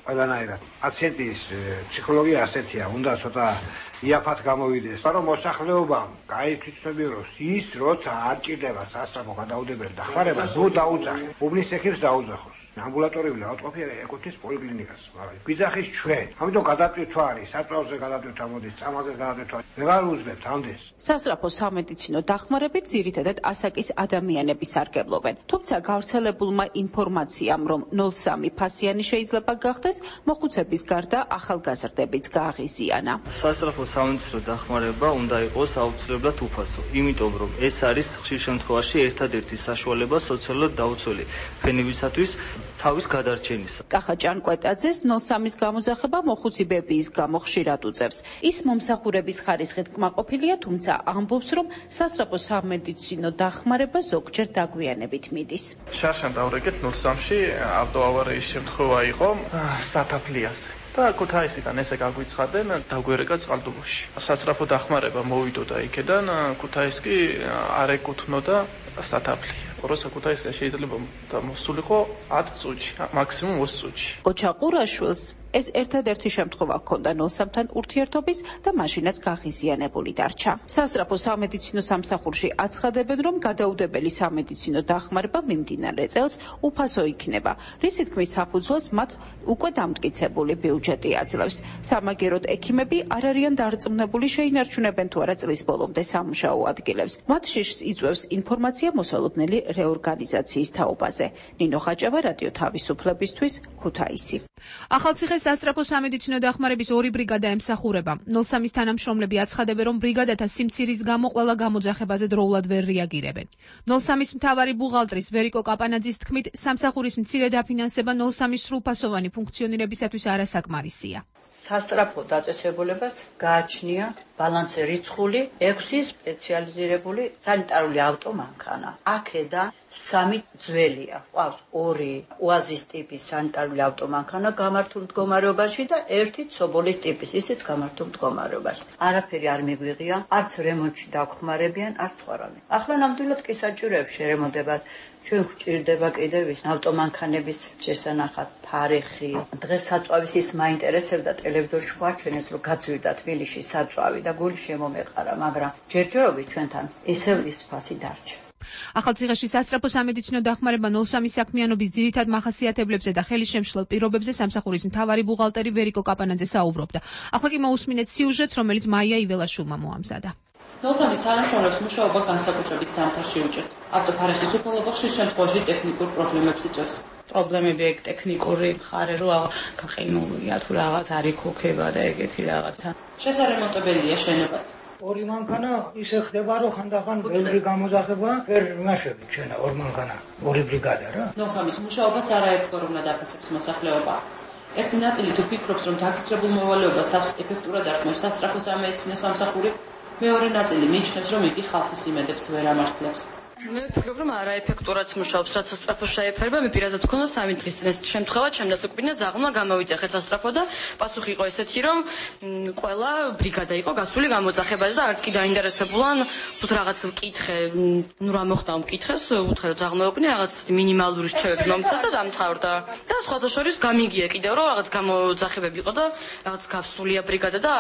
ყველანაირად. პაციენტის ფსიქოლოგია ასეთია, უნდა ცოტა იაფად გამოვიდეს. მაგრამ მოსახლეობამ გაითვისებია, რომ ის როცა არ ჭირდება სასწრაფო გადაუდებელი დახმარება, ნუ დაუძახი. უბნის ექიმს დაუძახოს. ამბულატორიული ავტყოფია ეკუთვნის პოლიკლინიკას, მაგრამ გვიძახის ჩვენ. ამიტომ გადატვირთვა არის, საწვავზე გადატვირთვა მოდის, წამალზე გადატვირთვა. ვეღარ უძლებთ ამდენს. სასწრაფო სამედიცინო დახმარებით ძირითადად ასაკის ადამიანები სარგებლობენ. თუმცა გავრცელებულმა ინფორმაციამ, რომ 03 ფასიანი შეიძლება გახდეს, მოხუცების გარდა ახალგაზრდებიც გააღიზიანა. სასწრაფო სამედიცინო დახმარება უნდა იყოს აუცილებლად უფასო, იმიტომ რომ ეს არის ხშირ შემთხვევაში ერთადერთი საშუალება სოციალურად დაუცველი ფენებისათვის თავის გადარჩენისა. კახა ჭანკვეტაძეს 03-ის გამოძახება მოხუცი ბებიის გამო ხშირად უწევს. ის მომსახურების ხარისხით კმაყოფილია, თუმცა ამბობს, რომ სასწრაფო სამედიცინო დახმარება ზოგჯერ დაგვიანებით მიდის. შარშან დავრეკეთ 03-ში ავტოავარიის შემთხვევა იყო სათაფლიაზე. და ქუთაისიდან ესე გაგვიცხადნენ დაგვერეკა წყალტუბოში. სასწრაფო დახმარება მოვიდოდა იქედან, ქუთაის კი არ ეკუთვნოდა სათაფლი. როცა ქუთაისზე შეიძლება მოსულიყო 10 წუთში, მაქსიმუმ 20 წუთში. კოჩა ყურაშვილს ეს ერთადერთი შემთხვევა ჰქონდა 03-თან ურთიერთობის და მაშინაც გაღიზიანებული დარჩა. სასწრაფო სამედიცინო სამსახურში აცხადებენ, რომ გადაუდებელი სამედიცინო დახმარება მიმდინარე წელს უფასო იქნება. რისი თქმის საფუძველს მათ უკვე დამტკიცებული ბიუჯეტი აძლევს. სამაგეროდ ექიმები არ არიან დარწმუნებული შეინარჩუნებენ თუ არა წლის ბოლომდე სამუშაო ადგილებს. მათ შიშს იწვევს ინფორმაცია მოსალოდნელი რეორგანიზაციის თაობაზე. ნინო ხაჭავა, რადიო თავისუფლებისთვის, ქუთაისი. ახალციხეს სასწრაფო სამედიცინო დახმარების 2 ბრიგადა ემსახურება. 03-ის თანამშრომლები აცხადებენ, რომ ბრიგადათა სიმცირის გამო ყველა გამოძახებაზე დროულად ვერ რეაგირებენ. 03-ის მთავარი ბუღალტრის ვერიკო კაპანაძის თქმით, სამსახურის მცირე დაფინანსება 03-ის სრულფასოვანი ფუნქციონირებისათვის არასაკმარისია. სასწრაფო დაწესებულებას გააჩნია ბალანსი რიცხული 6 სპეციალიზირებული სანიტარული ავტომანქანა. აქედან 3 ძველია, ყავს 2 უაზის ტიპის სანიტარული ავტომანქანა გამართულ მდგომარეობაში და 1 ცობოლის ტიპის, ისიც გამართულ მდგომარეობაში. არაფერი არ მიგვიღია, არც რემონტში დაგხმარებიან, არც სხვა რამე. ახლა ნამდვილად კი საჭიროებს შერემონტება. ჩვენ გვჭირდება კიდევ ის ავტომანქანების შესანახად ფარეხი. დღეს საწვავის ის მაინტერესებდა ტელევიზორში ვაჩვენეს, რომ გაწვირდა თბილისში საწვავი და გული შემომეყარა, მაგრამ ჯერჯერობით ჩვენთან ისევ ის ფასი დარჩა. ახალციხეში სასწრაფო სამედიცინო დახმარება 03 საქმიანობის ძირითად მახასიათებლებზე და ხელისშემშლელ პირობებზე სამსახურის მთავარი ბუღალტერი ვერიკო კაპანაძე საუბრობდა. ახლა კი მოусმინეთ სიუჟეტს, რომელიც მაია იველაშვილმა მოამზადა. 03-ის თანამშრომლებს მუშაობა განსაკუთრებით ზამთარში უჭერთ. ავტოფარეხის უფალობა ხშირ შემთხვევაში ტექნიკურ პრობლემებს იწვევს. პრობლემები ეგ ტექნიკური მხარე რო გაყინულია თუ რაღაც არ იქოქება და ეგეთი რაღაცა. შესარემონტებელია შენობაც. ორი მანქანა ისე ხდება, რომ ხანდახან ბევრი გამოძახება, ვერ იმაშები ჩვენა ორ მანქანა, ორი ბრიგადა რა. ნოსამის მუშაობას არაერთხელ უნდა დაფასებს მოსახლეობა. ერთი ნაწილი თუ ფიქრობს, რომ დაკისრებულ მოვალეობას თავს ეფექტურად არქმევს სასწრაფო სამედიცინო სამსახური, მეორე ნაწილი მიიჩნევს, რომ იგი ხალხის იმედებს ვერ ამართლებს. მე ვფიქრობ, რომ არაეფექტურად მუშაობს, რაც სასწრაფო შეეფერება, მე პირადად მქონდა 3 დღის წინ ეს შემთხვევა, ჩემ დასაკვირვებლად ზაღლმა გამოვიძახეთ სასწრაფო და პასუხი იყო ესეთი, რომ ყველა ბრიგადა იყო გასული გამოძახებაზე და არც კი დაინტერესებულან, თუ რაღაც მკითხე, ნუ რა მოხდა მკითხეს, უთხრა ზაღლმეობნი რაღაც მინიმალური რჩევები მომცეს და დამთავრდა. და სხვათა შორის გამიგია კიდევ, რომ რაღაც გამოძახებები იყო და რაღაც გასულია ბრიგადა და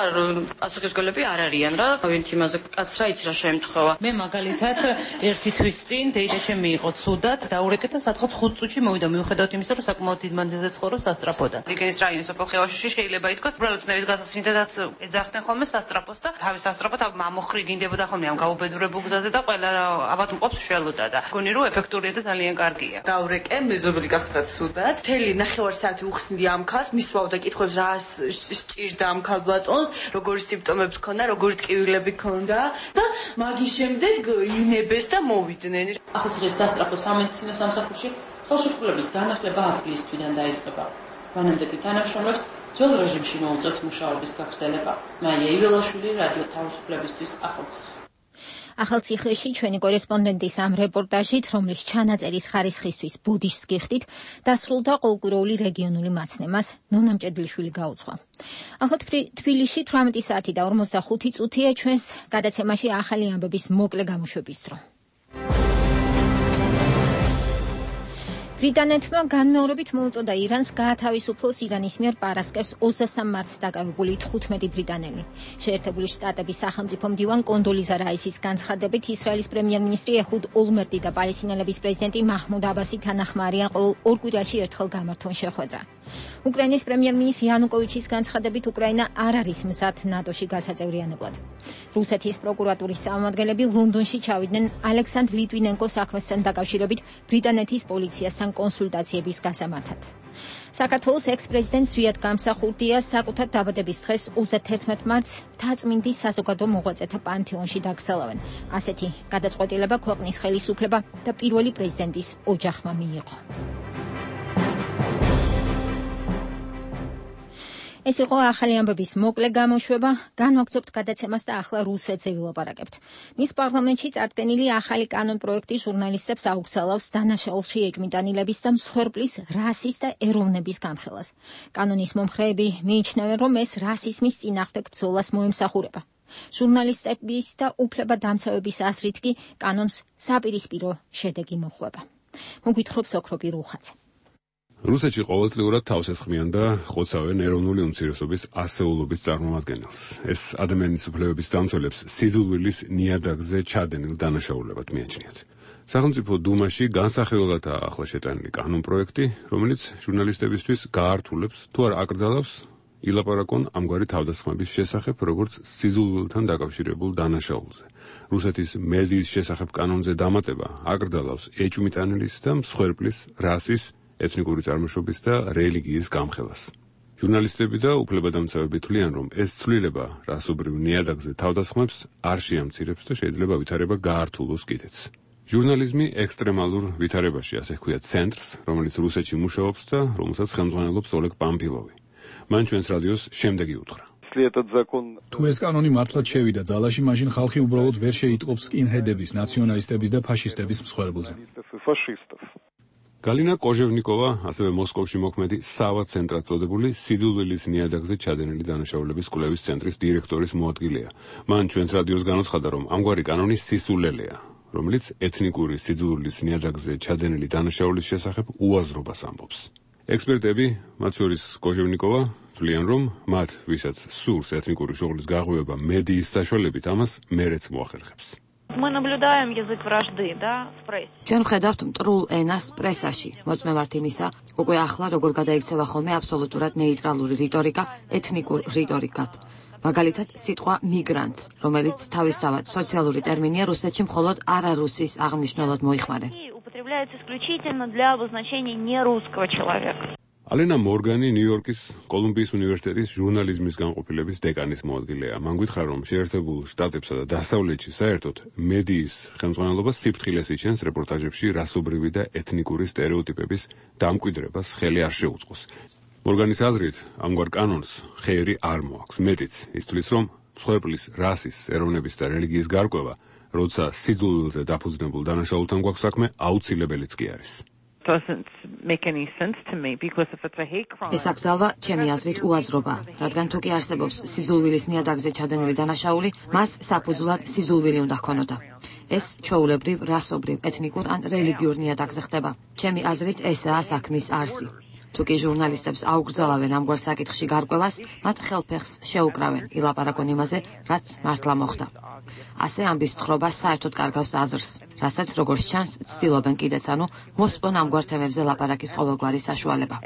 პასუხისმგებლები არ არიან რა. ვინც იმაზე კაცრა იცი რა შემთხვევა. მე მაგალითად ერთი წინ დეიდა ჩემი იყო ცუდად დაურეკეთ და სადღაც 5 წუთში მოვიდა მიუხედავად იმისა რომ საკმაოდ დიდ მანძილზე ცხოვრობს სასწრაფოდან. რიგენის რაიონის სოფელ ხევაშში შეიძლება ითქვას უბრალოდნევის გასასინდედაც ეძახდნენ ხოლმე სასწრაფოს და თავის სასწრაფო ამოხრიგინდებოდა ხოლმე ამ გაუბედურებულ გზაზე და ყველა ალბათ მყოფს შველოდა და გონი რომ ეფექტურია და ძალიან კარგია. დაურეკე მეზობელი გახდა ცუდად. მთელი 9 საათი უხსნდი ამ ქალს, მისვავდა კითხვებს რა სჭირდა ამ ქალბატონს, როგორი სიმპტომები ჰქონდა, როგორი ტკივილები ჰქონდა და მაგის შემდეგ ინებეს და ახალციხის სასწრაფო სამედიცინო სამსახურში ხელშეკრულების განახლება აპრილის თვიდან დაიწყება. მანამდე კი თანამშრომლებს ძველ რეჟიმში მოუწევთ მუშაობის გაგრძელება. მაია იველაშვილი, რადიო თავისუფლებისთვის, ახალციხე. ახალციხეში ჩვენი კორესპონდენტის ამ რეპორტაჟით, რომლის ჩანაწერის ხარისხისთვის ბუდიშს გიხდით, დასრულდა ყოველკვირეული რეგიონული მაცნემას ნონა მჭედლიშვილი გაუძღვა. ახლა თბილისში 18 საათი და 45 წუთია ჩვენს გადაცემაში ახალი ამბების მოკლე გამოშვების დრო. ბრიტანეთმა განმეორებით მოუწოდა ირანს გაათავისუფლოს ირანის მიერ პარასკევს 23 მარტს დაკავებული 15 ბრიტანელი. შეერთებული შტატების სახელმწიფო მდივან კონდოლიზა რაისის განცხადებით ისრაელის პრემიერ-მინისტრი ეჰუდ ოლმერტი და პალესტინელების პრეზიდენტი მაჰმუდ აბასი თანახმარიან ყოველ ორ კვირაში ერთხელ გამართონ შეხვედრა. უკრაინის პრემიერ-მინისტრის იანუკოვიჩის განცხადებით უკრაინა არ არის მზად ნატოში გასაწევრიანებლად. რუსეთის პროკურატურის წარმომადგენლები ლონდონში ჩავიდნენ ალექსანდრ ლიტვინენკოს საქმესთან დაკავშირებით ბრიტანეთის პოლიციასთან კონსულტაციების გასამართად. საქართველოს ექს-პრეზიდენტ ზვიად გამსახურდია საკუთარ დაბადების დღეს 31 მარტს მთაწმინდის საზოგადო მოღვაწეთა პანთეონში დაკრძალავენ. ასეთი გადაწყვეტილება ქვეყნის ხელისუფლება და პირველი პრეზიდენტის ოჯახმა მიიღო. ეს იყო ახალი ამბების მოკლე გამოშვება, განვაგრძობთ გადაცემას და ახლა რუსეთზე ვილაპარაკებთ. მის პარლამენტში წარდგენილი ახალი კანონ-პროექტი ჟურნალისტებს აუგზავნავს დანაშაულში ეჭვმიტანილების და მსხვერპლის რასის და ეროვნების განხილვას. კანონის მომხრეები მიიჩნევენ, რომ ეს რასიზმის წინააღმდეგ ბრძოლას მოემსახურება. ჟურნალისტების და უფლებადამცავების აზრით კი კანონს საპირისპირო შედეგი მოჰყვება. მოგვითხრობს ოქროპი რუხაძე. რუსეთში ყოველწლიურად თავს ესხმიან და ხოცავენ ეროვნული უმცირესობის ასეულობის წარმომადგენელს. ეს ადამიანის უფლებების დამცველებს სიძულვილის ნიადაგზე ჩადენილ დანაშაულებად მიაჩნიათ. სახელმწიფო დუმაში განსახილველადაა ახლა შეტანილი კანონ-პროექტი, რომელიც ჟურნალისტებისთვის გაართულებს თუ არ აკრძალავს ილაპარაკონ ამგვარი თავდასხმების შესახებ, როგორც სიძულვილთან დაკავშირებულ დანაშაულზე. რუსეთის მედიის შესახებ კანონზე დამატება აკრძალავს ეჭვმიტანილის და მსხვერპლის რასის, ეთნიკური წარმოშობის და რელიგიის გამხელას. ჟურნალისტები და უფლებადამცავები თვლიან, რომ ეს ცვლილება რასობრივ ნიადაგზე თავდასხმებს არ შეამცირებს და შეიძლება ვითარება გაართულოს კიდეც. ჟურნალიზმი ექსტრემალურ ვითარებაში, ასე ჰქვია ცენტრს, რომელიც რუსეთში მუშაობს და რომელსაც ხელმძღვანელობს ოლეგ პამფილოვი. მან ჩვენს რადიოს შემდეგი უთხრა. თუ ეს კანონი მართლაც შევიდა ძალაში, მაშინ ხალხი უბრალოდ ვერ შეიტყობს სკინჰედების, ნაციონალისტების და ფაშისტების მსხვერპლზე. გალინა კოჟევნიკოვა, ასევე მოსკოვში მოქმედი სავა ცენტრად წოდებული სიძულვილის ნიადაგზე ჩადენილი დანაშაულების კვლევის ცენტრის დირექტორის მოადგილეა. მან ჩვენს რადიოს განაცხადა, რომ ამგვარი კანონი სისულელეა, რომელიც ეთნიკური სიძულვილის ნიადაგზე ჩადენილი დანაშაულის შესახებ უაზრობას ამბობს. ექსპერტები, მათ შორის კოჟევნიკოვა, თვლიან, რომ მათ, ვისაც სურს ეთნიკური შუღლის გაღვივება მედიის საშუალებით, ამას მერეც მოახერხებს. Мы наблюдаем язык вражды, да, в прессе. ჩვენ ხედავთ მტრულ ენას პრესაში. მოწმევართ იმისა, უკვე ახლა როგორ გადაიქცევა ხოლმე აბსოლუტურად ნეიტრალური რიტორიკა ეთნიკურ რიტორიკად. მაგალითად, სიტყვა მიგრანტს, რომელიც თავისთავად სოციალური ტერმინია რუსეთში მხოლოდ არარუსის აღმნიშვნელად მოიხმარენ. Употребляется исключительно для обозначения нерусского человека. ალენა მორგანი ნიუ-იორკის კოლუმბიის უნივერსიტეტის ჟურნალიზმის განყოფილების დეკანის მოადგილეა. მან გითხრა, რომ შეერთებულ შტატებსა და დასავლეთში საერთოდ მედიის ხელმძღვანელობა სიფრთხილეს იჩენს რეპორტაჟებში რასობრივი და ეთნიკური სტერეოტიპების დამკვიდრებას ხელი არ შეუწყოს. მორგანის აზრით, ამგვარ კანონს ხელი არ მოაქვს. მეტიც, ის თვლის, რომ მსხვერპლის რასის, ეროვნების და რელიგიის გარკვევა, როცა სიძულვილზე დაფუძნებულ დანაშაულთან გვაქვს საქმე, აუცილებელიც კი არის. ეს აკრძალვა ჩემი აზრით უაზრობა, რადგან თუ კი არსებობს სიძულვილის ნიადაგზე ჩადენილი დანაშაული, მას საფუძვლად სიძულვილი უნდა ჰქონოდა. ეს ჩვეულებრივ, რასობრივ, ეთნიკურ ან რელიგიურ ნიადაგზე ხდება. ჩემი აზრით ესაა საქმის არსი. თუ კი ჟურნალისტებს აუკრძალავენ ამგვარ საკითხში გარკვევას, მათ ხელფეხს შეუკრავენ ილაპარაკონ იმაზე, რაც მართლა მოხდა. ასე ამბის თხრობა საერთოდ კარგავს აზრს, რასაც როგორც ჩანს ცდილობენ კიდეც, ანუ მოსპონ ამგვარ თემებზე ლაპარაკის ყოველგვარი საშუალება.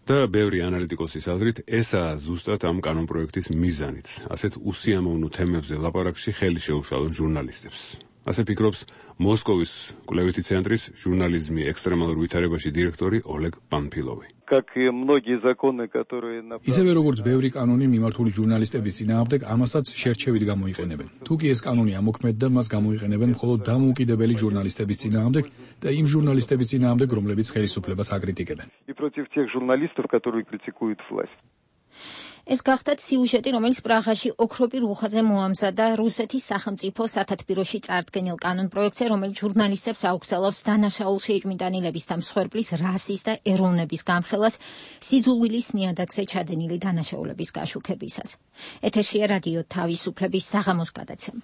და ბევრი ანალიტიკოსის აზრით, ესაა ზუსტად ამ კანონპროექტის მიზანიც, ასეთ უსიამოვნო თემებზე ლაპარაკში ხელი შეუშალონ ჟურნალისტებს. ასე ფიქრობს მოსკოვის კვლევითი ცენტრის ჟურნალიზმი ექსტრემალურ ვითარებაში დირექტორი ოლეგ პანფილოვი. ისევე როგორც ბევრი კანონი მიმართული ჟურნალისტების წინააღმდეგ, ამასაც შერჩევით გამოიყენებენ. თუ კი ეს კანონი ამოქმედდა, მას გამოიყენებენ მხოლოდ დამოუკიდებელი ჟურნალისტების წინააღმდეგ და იმ ჟურნალისტების წინააღმდეგ, რომლებიც ხელისუფლებას აკრიტიკებენ. ეს გახდათ სიუჟეტი, რომელიც პრაღაში ოქროპი რუხაძე მოამზადა რუსეთის სახელმწიფო სათათბიროში წარდგენილ კანონპროექტზე, რომელიც ჟურნალისტებს აუგზავნებს დანაშაულში ეჭვმიტანილების და მსხვერპლის რასის და ეროვნების გამხელას სიძულვილის ნიადაგზე ჩადენილი დანაშაულების გაშუქებისას. ეთერშია რადიო თავისუფლების საღამოს გადაცემა.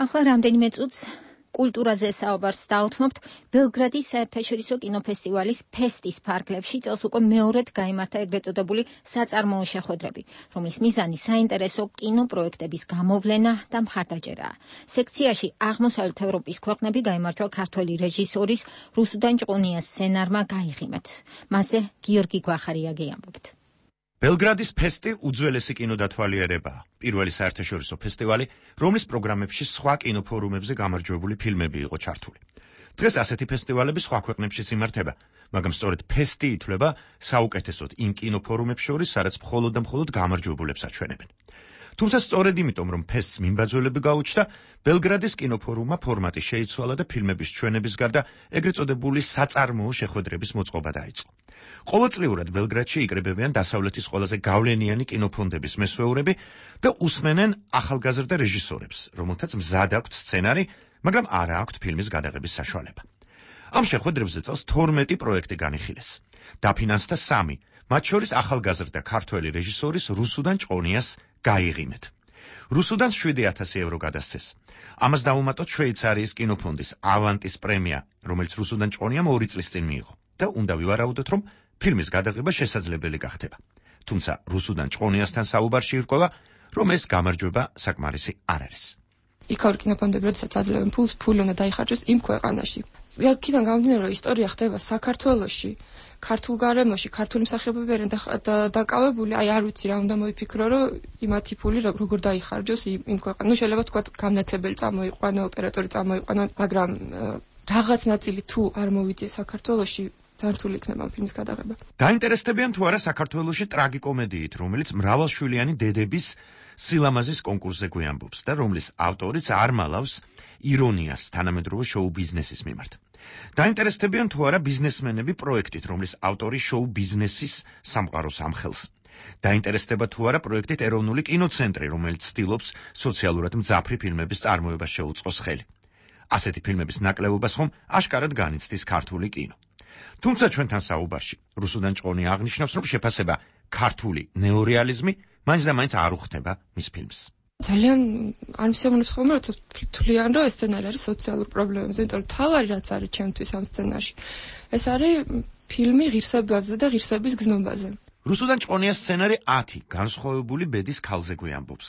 ახლა რამდენიმე წუთს კულტურაზე საუბარს დავუთმობთ. ბელგრადის საერთაშორისო კინოფესტივალის ფესტის ფარგლებში წელს უკვე მეორედ გაიმართა ეგრეთ წოდებული საწარმოო შეხვედრები, რომლის მიზანი საინტერესო კინოპროექტების გამოვლენა და მხარდაჭერაა. სექციაში აღმოსავლეთ ევროპის ქვეყნები გაიმარჯვა ქართველი რეჟისორის რუსუდან ჭყონიას სცენარმა გაიღიმეთ. მასზე გიორგი გვახარიაგი ამბობთ. ბელგრადის ფესტი უძველესი კინოდათვალიერებაა. პირველი საერთაშორისო ფესტივალი, რომლის პროგრამებში სხვა კინოფორუმებზე გამარჯვებული ფილმები იყო ჩართული. დღეს ასეთი ფესტივალები სხვა ქვეყნებშიც იმართება, მაგრამ სწორედ ფესტი ითვლება საუკეთესოდ იმ კინოფორუმებს შორის, სადაც მხოლოდ და მხოლოდ გამარჯვებულებს აჩვენებენ. თუმცა სწორედ იმიტომ, რომ ფესტს მიმბაძველები გაუჩნდა, ბელგრადის კინოფორუმმა ფორმატი შეიცვალა და ფილმების ჩვენების გარდა ეგრეთ წოდებული საწარმოო შეხვედრების მოწყობა დაიწყო. ყოველწლიურად ბელგრადში იკრიბებიან დასავლეთის ყველაზე გავლენიანი კინოფონდების მესვეურები და უსმენენ ახალგაზრდა რეჟისორებს, რომელთაც მზად აქვთ სცენარი, მაგრამ არ აქვთ ფილმის გადაღების საშუალება. ამ შეხვედრებზე წელს 12 პროექტი განიხილეს. დაფინანსდა 3, მათ შორის ახალგაზრდა ქართველი რეჟისორის რუსუდან ჭყონიას გაიღიმეთ. რუსუდანს 7,000 евро გადასცეს. ამას დაუმატოთ შვეიცარიის კინოფონდის ავანტის პრემია, რომელიც რუსუდან ჭყონიამ 2 წლის წინ მიიღო და უნდა ვივარაუდოთ, რომ ფილმის გადაღება შესაძლებელი გახდება. თუმცა რუსუდან ჭყონიასთან საუბარში ირკვევა, რომ ეს გამარჯვება საკმარისი არ არის. იქაურ კინოფონდები, როდესაც აძლევენ ფულს, ფული უნდა დაიხარჯოს იმ ქვეყანაში. იქიდან გამომდინარე, რომ ისტორია ხდება საქართველოში, ქართულ გარემოში, ქართული მსახიობები არიან დაკავებული, არ ვიცი რა უნდა მოიფიქრო, რომ იმათი ფული როგორ დაიხარჯოს იმ ქვეყანაში. ნუ შეიძლება თქვა გამნათებელი წამოიყვანო, ოპერატორი წამოიყვანო, მაგრამ რაღაც ნაწილი თუ არ მოვიძიე საქართველოში, ძართული იქნება ფილმის გადაღება. დაინტერესდებიან თუ არა საქართველოში ტრაგიკომედიით, რომელიც მრავალშვილიანი დედების სილამაზის კონკურსზე გვიამბობს და რომლის ავტორიც არ მალავს ირონიას თანამედროვე შოუ ბიზნესის მიმართ. დაინტერესდებიან თუ არა ბიზნესმენები პროექტით, რომლის ავტორი შოუ ბიზნესის სამყაროს ამხელს. დაინტერესდება თუ არა პროექტით ეროვნული კინოცენტრი, რომელიც ცდილობს სოციალურად მძაფრი ფილმების წარმოებას შეუწყოს ხელი. ასეთი ფილმების ნაკლებობას ხომ აშკარად განიცდის ქართული კინო. თუმცა ჩვენთან საუბარში რუსუდან ჭყონია აღნიშნავს, რომ შეფასება ქართული ნეორეალიზმი მაინც და მაინც არ უხდება მის ფილმს. ძალიან არ მისამონებს ხოლმე, როცა თვლიან, რომ ეს სცენარი არის სოციალურ პრობლემებზე, იმიტომ რომ თავარი რაც არის ჩემთვის ამ სცენარში, ეს არის ფილმი ღირსებაზე და ღირსების გზნობაზე. რუსუდან ჭყონიას სცენარი 10 განსხვავებული ბედის ქალზე გვიამბობს.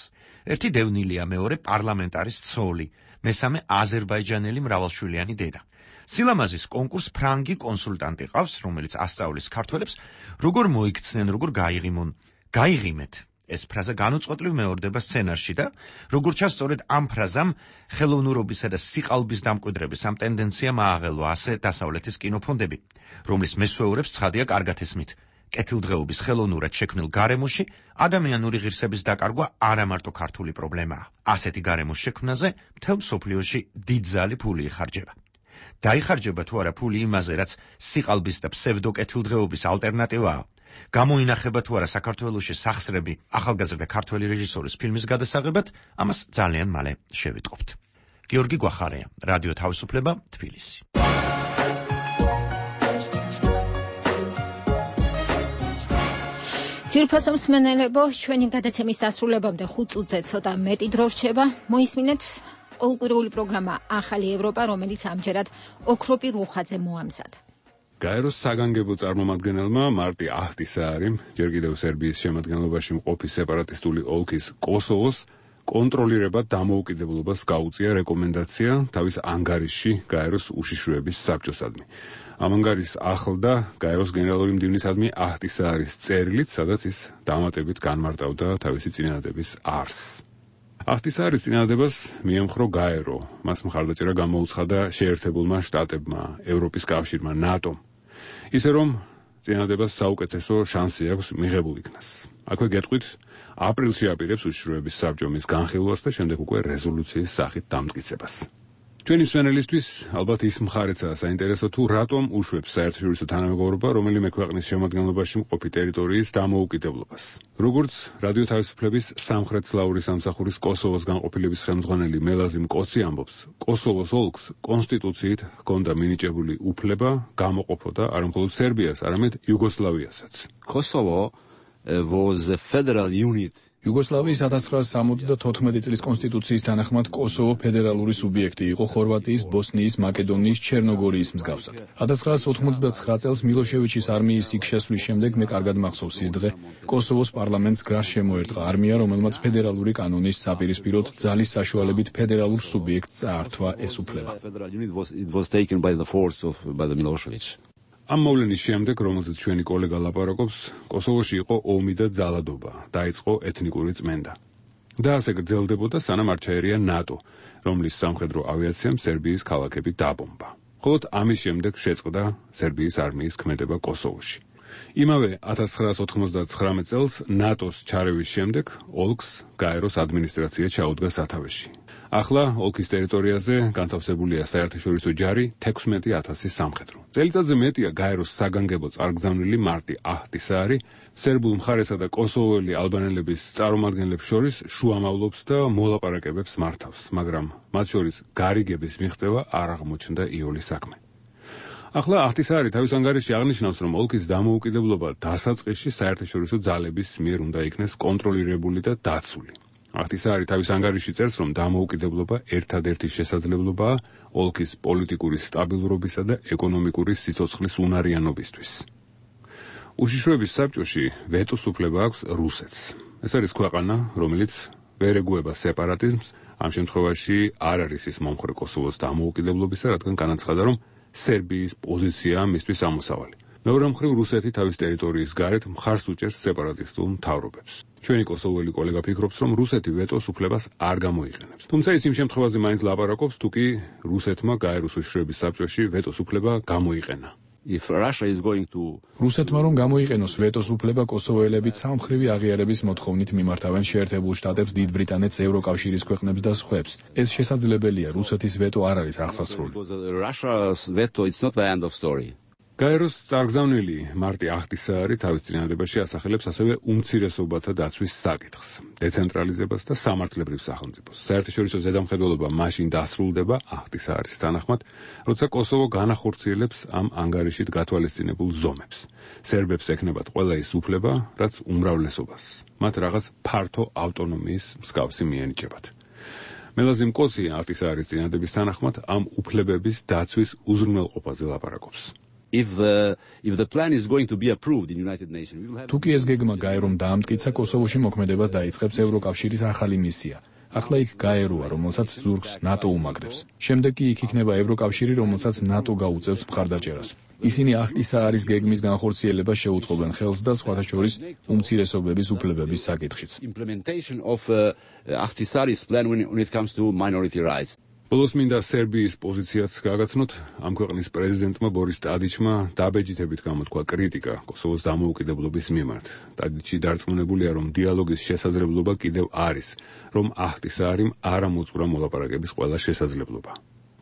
ერთი დევნილია, მეორე პარლამენტარის ცოლი, მესამე აზერბაიჯანელი მრავალშვილიანი დედა. სილამაზის კონკურს ფრანგი კონსულტანტი ყავს, რომელიც ასწავლის ქართველებს, როგორ მოიქცნენ, როგორ გაიღიმონ. გაიღიმეთ ეს ფრაზა განუწყვეტლივ მეორდება სცენარში და როგორც ჩანს, სწორედ ამ ფრაზამ ხელოვნურობისა და სიყალბის დამკვიდრების ამ ტენდენციამ ააღელვა ასე დასავლეთის კინოფონდები, რომლის მესვეურებს ცხადია კარგად ესმით. კეთილდღეობის ხელოვნურად შექმნილ გარემოში ადამიანური ღირსების დაკარგვა არა მარტო ქართული პრობლემაა. ასეთი გარემოს შექმნაზე მთელ მსოფლიოში დიდძალი ფული იხარჯება. დაიხარჯება თუ არა ფული იმაზე, რაც სიყალბის და ფსევდოკეთილდღეობის ალტერნატივაა. გამოინახება თუ არა საქართველოში სახსრები ახალგაზრდა ქართველი რეჟისორის ფილმის გადასაღებად, ამას ძალიან მალე შევიტყობთ. გიორგი გვახარია, რადიო თავისუფლება, თბილისი. ძირფასო მსმენელებო, ჩვენი გადაცემის დასრულებამდე 5 წუთზე ცოტა მეტი დრო რჩება. მოისმინეთ ყოველკვირეული პროგრამა ახალი ევროპა, რომელიც ამჯერად ოქროპი რუხაძე მოამზადა. გაეროს საგანგებო წარმომადგენელმა მარტი აჰტისაარი, ჯერ კიდევ სერბიის შემადგენლობაში მყოფი სეპარატისტული ოლქის კოსოვოს კონტროლირებად დამოუკიდებლობას გაუწია რეკომენდაცია თავის ანგარიშში გაეროს უშიშროების საბჭოსადმი. ამ ანგარიშს ახლდა გაეროს გენერალური მდივნისადმი აჰტისааრის წერილით, სადაც ის დამატებით განმარტავდა თავისი წინადადების არსს. აჰტისааრის წინადადებას მიემხრო გაერო, მას მხარდაჭერა გამოუცხადა შეერთებულმა შტატებმა, ევროპის კავშირმა, ნატომ. ისე რომ წინადადებას საუკეთესო შანსი აქვს მიღებულ იქნას. აქვე გეტყვით, აპრილში აპირებს უშიშროების საბჭო მის განხილვას და შემდეგ უკვე რეზოლუციის სახით დამტკიცებას. ჩვენი მსმენელისთვის ალბათ ის მხარეცაა საინტერესო თუ რატომ უშვებს საერთაშორისო თანამეგობრობა რომელიმე ქვეყნის შემადგენლობაში მყოფი ტერიტორიის დამოუკიდებლობას. როგორც რადიო თავისუფლების სამხრეთსლავური სამსახურის კოსოვოს განყოფილების ხელმძღვანელი მელაზი მკოცი ამბობს, კოსოვოს ოლქს კონსტიტუციით ჰქონდა მინიჭებული უფლება გამოყოფოდა არა მხოლოდ სერბიას, არამედ იუგოსლავიასაც. Kosovo was a federal unit. იუგოსლავიის 1974 წლის კონსტიტუციის თანახმად კოსოვო ფედერალური სუბიექტი იყო ხორვატიის, ბოსნიის, მაკედონიის, ჩერნოგორიის მსგავსად. 1999 წელს მილოშევიჩის არმიის იქ შესვლის შემდეგ მე კარგად მახსოვს ის დღე, კოსოვოს პარლამენტს გარს შემოერტყა არმია, რომელმაც ფედერალური კანონის საპირისპიროდ ძალის საშუალებით ფედერალურ სუბიექტს წაართვა ეს უფლება. ამ მოვლენის შემდეგ, რომელზეც ჩვენი კოლეგა ლაპარაკობს, კოსოვოში იყო ომი და ძალადობა, დაიწყო ეთნიკური წმენდა. და ასე გრძელდებოდა, სანამ არ ჩაერია ნატო, რომლის სამხედრო ავიაციამ სერბიის ქალაქები დაბომბა. მხოლოდ ამის შემდეგ შეწყდა სერბიის არმიის ქმედება კოსოვოში. იმავე 1999 წელს ნატოს ჩარევის შემდეგ ოლქს გაეროს ადმინისტრაცია ჩაუდგა სათავეში. ახლა ოლქის ტერიტორიაზე განთავსებულია საერთაშორისო ჯარი 16,000 სამხედრო. წელიწადზე მეტია გაეროს საგანგებო წარგზავნილი მარტი აჰტისაარი სერბულ მხარესა და კოსოვოელი ალბანელების წარმომადგენლებს შორის შუამავლობს და მოლაპარაკებებს მართავს, მაგრამ მათ შორის გარიგების მიღწევა არ აღმოჩნდა იოლის საქმე. ახლა აჰტისაარი თავის ანგარიშში აღნიშნავს, რომ ოლქის დამოუკიდებლობა დასაწყისში საერთაშორისო ძალების მიერ უნდა იქნეს კონტროლირებული და დაცული. აჰტისაარი თავის ანგარიშში წერს, რომ დამოუკიდებლობა ერთადერთი შესაძლებლობაა ოლქის პოლიტიკური სტაბილურობისა და ეკონომიკური სიცოცხლის უნარიანობისთვის. უშიშროების საბჭოში ვეტოს უფლება აქვს რუსეთს. ეს არის ქვეყანა, რომელიც ვერ ეგუება სეპარატიზმს, ამ შემთხვევაში არ არის ის მომხრე კოსოვოს დამოუკიდებლობისა, რადგან განაცხადა, რომ სერბიის პოზიციაა მისთვის ამოსავალი. მეორე მხრივ რუსეთი თავის ტერიტორიის გარეთ მხარს უჭერს სეპარატისტულ მთავრობებს. ჩვენი კოსოვოელი კოლეგა ფიქრობს, რომ რუსეთი ვეტოს უფლებას არ გამოიყენებს. თუმცა ის იმ შემთხვევაზე მაინც ლაპარაკობს, თუ კი რუსეთმა გაეროს უშიშროების საბჭოში ვეტოს უფლება გამოიყენა. რუსეთმა რომ გამოიყენოს ვეტოს უფლება, კოსოვოელებიც სამმხრივი აღიარების მოთხოვნით მიმართავენ შეერთებულ შტატებს, დიდ ბრიტანეთს, ევროკავშირის ქვეყნებს და სხვებს. ეს შესაძლებელია, რუსეთის ვეტო არ არის აღსასრული. გაეროს წარგზავნილი მარტი აჰტისაარი თავის წინადადებაში ასახელებს ასევე უმცირესობათა დაცვის საკითხს, დეცენტრალიზებას და სამართლებრივ სახელმწიფოს. საერთაშორისო ზედამხედველობა მაშინ დასრულდება აჰტისааრის თანახმად, როცა კოსოვო განახორციელებს ამ ანგარიშით გათვალისწინებულ ზომებს. სერბებს ექნებათ ყველა ის უფლება, რაც უმრავლესობას, მათ რაღაც ფართო ავტონომიის მსგავსი მიენიჭებათ. მელაზი მკოცი აჰტისааრის წინადადების თანახმად ამ უფლებების დაცვის უზრუნველყოფაზე ლაპარაკობს. თუ კი ეს გეგმა გაერომ დაამტკიცა, კოსოვოში მოქმედებას დაიწყებს ევროკავშირის ახალი მისია. ახლა იქ გაეროა, რომელსაც ზურგს ნატო უმაგრებს. შემდეგ კი იქ იქნება ევროკავშირი, რომელსაც ნატო გაუწევს მხარდაჭერას. ისინი ახტისაარის გეგმის განხორციელებას შეუწყობენ ხელს და სხვათა შორის უმცირესობების უფლებების საკითხშიც. ბოლოს მინდა სერბიის პოზიციაც გააგაცნოთ. ამ ქვეყნის პრეზიდენტმა ბორის ტადიჩმა დაბეჯითებით გამოთქვა კრიტიკა კოსოვოს დამოუკიდებლობის მიმართ. ტადიჩი დარწმუნებულია, რომ დიალოგის შესაძლებლობა კიდევ არის, რომ ახტისაარიმ არ ამოწურა მოლაპარაკების ყველა შესაძლებლობა.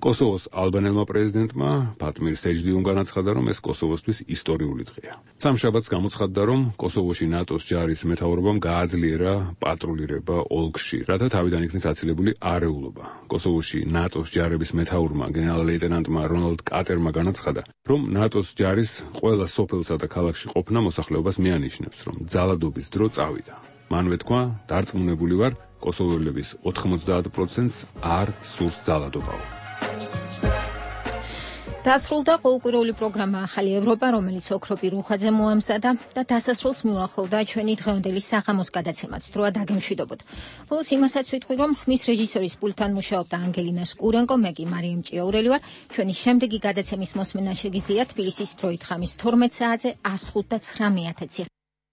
კოსოვოს ალბანელმა პრეზიდენტმა ფატმირ სეჯდიუმ განაცხადა, რომ ეს კოსოვოსთვის ისტორიული დღეა. სამშაბათს გამოცხადდა, რომ კოსოვოში ნატოს ჯარის მეთაურობამ გააძლიერა პატრულირება ოლქში, რათა თავიდან იქნეს აცილებული არეულობა. კოსოვოში ნატოს ჯარების მეთაურმა გენერალ-ლეიტენანტმა რონალდ კატერმა განაცხადა, რომ ნატოს ჯარის ყველა სოფელსა და ქალაქში ყოფნა მოსახლეობას მიანიშნებს, რომ ძალადობის დრო წავიდა. მანვე თქვა, დარწმუნებული ვარ, კოსოველების 90%-ს არ სურს ძალადობაო. დასრულდა ყოველკვირეული პროგრამა ახალი ევროპა, რომელიც ოქროპი რუხაძე მოამზადა და დასასრულს მიუახლოვდა ჩვენი დღევანდელი საღამოს გადაცემაც. დროა დაგემშვიდობოთ. ბოლოს იმასაც ვიტყვი, რომ ხმის რეჟისორის პულტთან მუშაობდა ანგელინა სკურენკო, მე კი მარიამ ჭიაურელი ვარ. ჩვენი შემდეგი გადაცემის მოსმენა შეგიძლიათ თბილისის დროით ხამის 12 საათზე 105 და 9:00